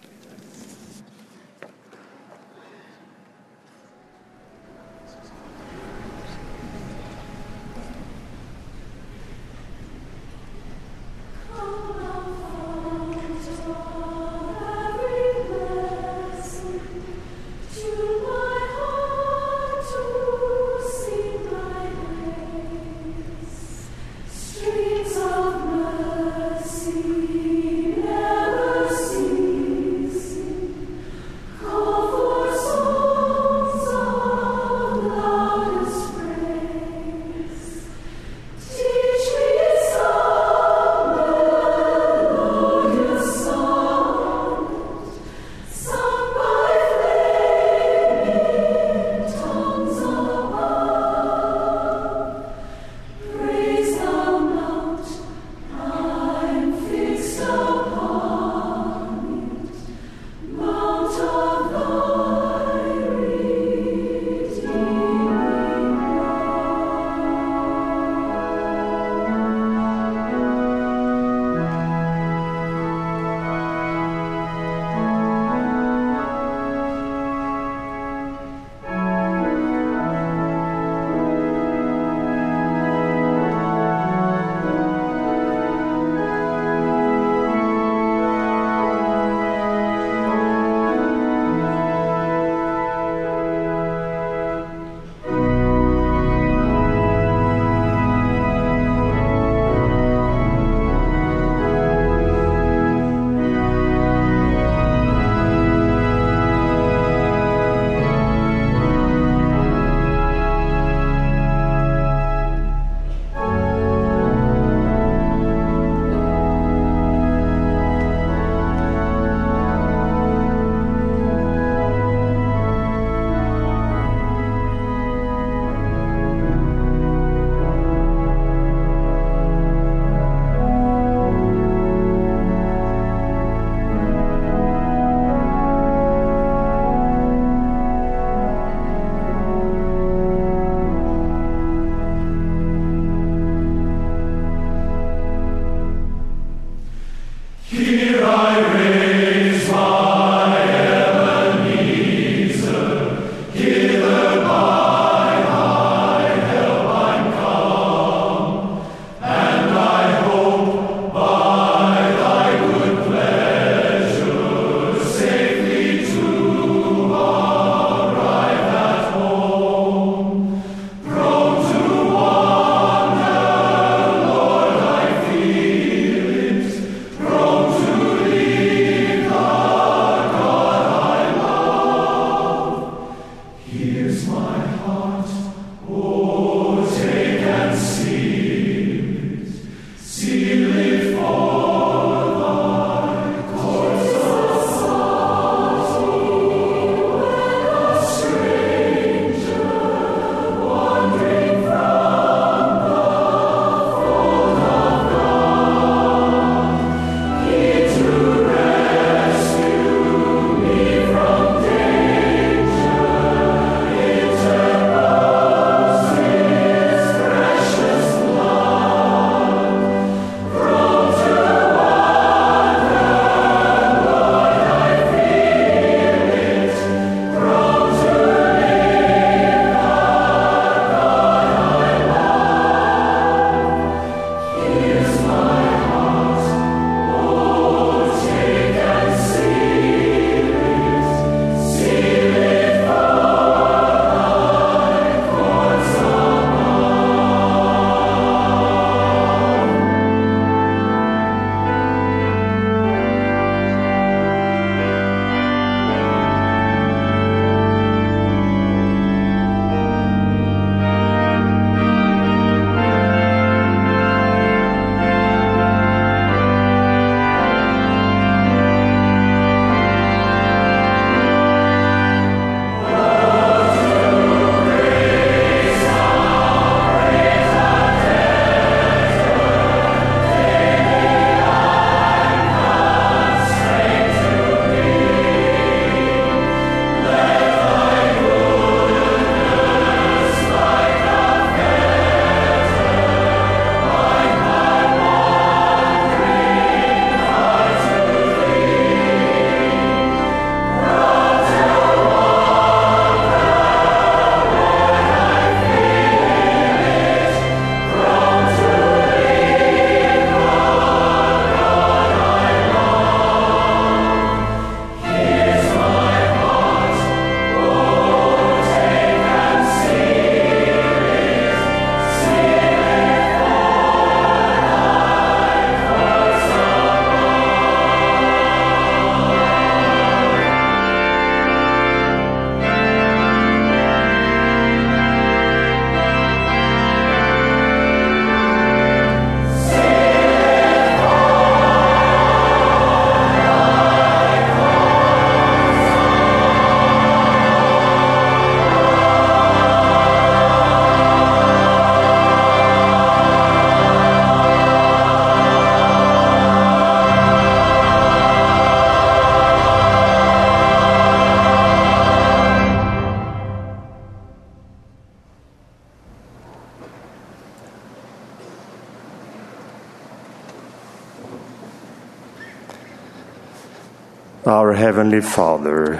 Our Heavenly Father,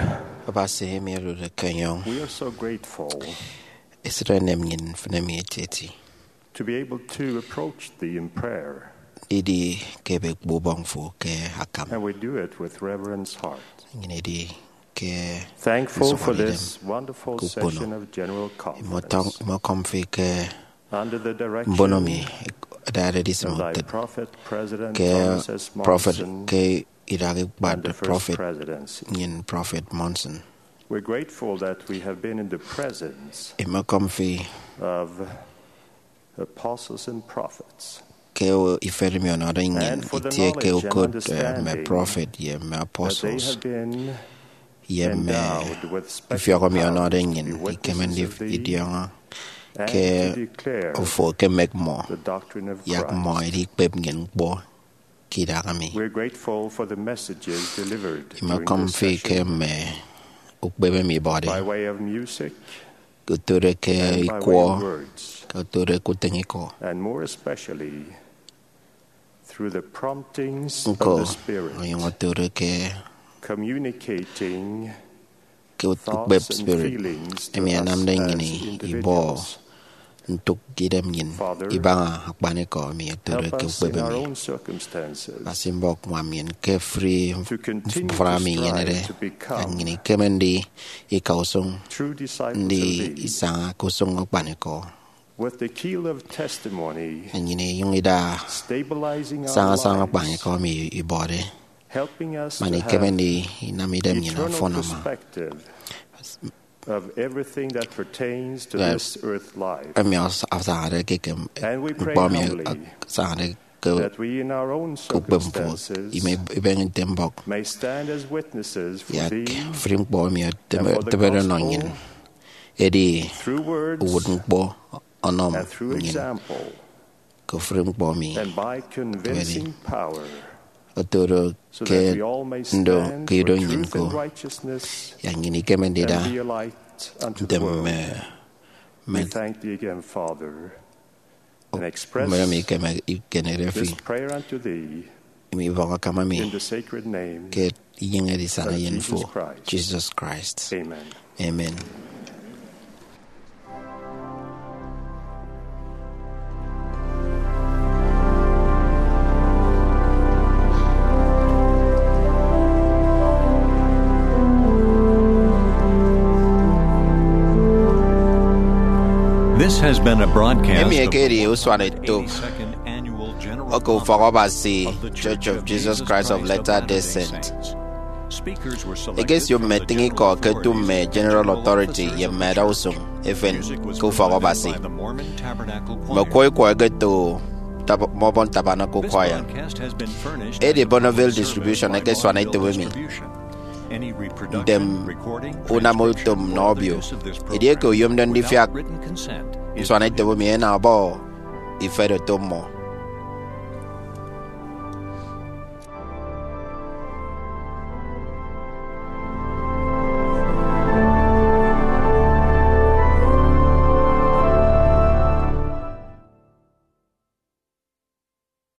Abasi emi odude ke enyọñ, we are so grateful esịt enem nnyịn mfịn emi etieti to be able to approach Thee in prayer. Didi ke ebekpo ubọñ fo ke akam. And we do it with reverence heart. Nnyịn edi ke thankful for nsụhọdeidem this wonderful ke ukpono. Session of General Conference. Imọkọm fi ke under the direction mbono mi ẹdade edisịm of thy utịt prophet, President ke Thomas S. Prọfet Monson, ke idak ikpat and the First Prọfet Presidency. Nnyịn Prọfet Monson. We're grateful that we have been in the presence Imọkọm fi of apostles and prophets, ifen emi ọnọde nnyịn and for the itie ke knowledge and ukot, eh, mme understanding prọfet ye mme that they apostles have been ye mme endowed with special ifiọk emi ọnọde powers to be nnyịn ikeme witnesses of thee idiọñọ and ke to declare ofo ekemek mmọ, the doctrine of yak mmọ Christ. Edikpep nnyịn ñkpọ ke idaha mi. We're grateful for the messages delivered during Imọkọm this fi ke session mme ukpep emi ibọde, by way of music ke otode ke and by ikwọ, way of words, ke otode ke utịñ ikọ. And more especially through the promptings of Ñko the Spirit, onyụñ otode ke communicating ke ukpep thoughts and spirit feelings to emi us anamde as nnyịn ibọ individuals. Ntụk ke idem nnyịn Father, ibaña akpanikọ emi otode help ke us ukpep in our emi. Own circumstances Abasi mbọk ñwam nnyịn ke free to continue mfụfụna to ami strive inyenede, to become nnyịn ikeme ndi ika usụñ true disciples ndi of thee. Isaña ke usụñ akpanikọ. With the keel of testimony nnyịn inyụñ ida stabilizing our saña saña lives, akpanikọ emi ibọde, helping us man to ikeme have ndi inam idem nnyịn eternal ọfọn ama. Perspective of everything that pertains to That this earth life. Emi as- asañade ke ekem And we pray nkpọ emi humbly asañade ke that we in our own ke ukpep mfo circumstances ime ibeñe nte mbọk may stand as witnesses for yak thee fri ñkpọ emi and for the etebede ọnọ gospel nnyịn. Edi through words uwụt ñkpọ ọnọ and through nnyịn example ke ofụri ñkpọ emi and by convincing power, otodo so ke that we all may ndo stand ke ido for nnyịn truth ko and righteousness yak nnyịn ikeme ndida and be a light unto the world. Ntem mme We mme thank thee again, Father, and express mme emi ikeme ikenede fi this prayer unto thee emi ibọñ akam emi in the sacred name ke inyene edisana of eyen Jesus fo Christ. Jesus Christ. Amen. Amen. This has been a broadcast Emi of ekedi usuan eto eighty-second annual general oke ufọk Ọbasi Church of Jesus Christ of Latter-day Saints. Ekesio mme etịñ ikọ ke eto mme General Authority ye mme adausụñ efen ke ufọk Ọbasi. Mme ọkwọ ikwọ ẹketo tab- mme ọbọn Tabernacle Choir. Edi Bonneville Distribution ẹkesuana etop emi. Ntem unam utom nnọ obio. Edieke oyomde ndifiak nsuana etop emi, enañ ọbọ ifet oto mmọ.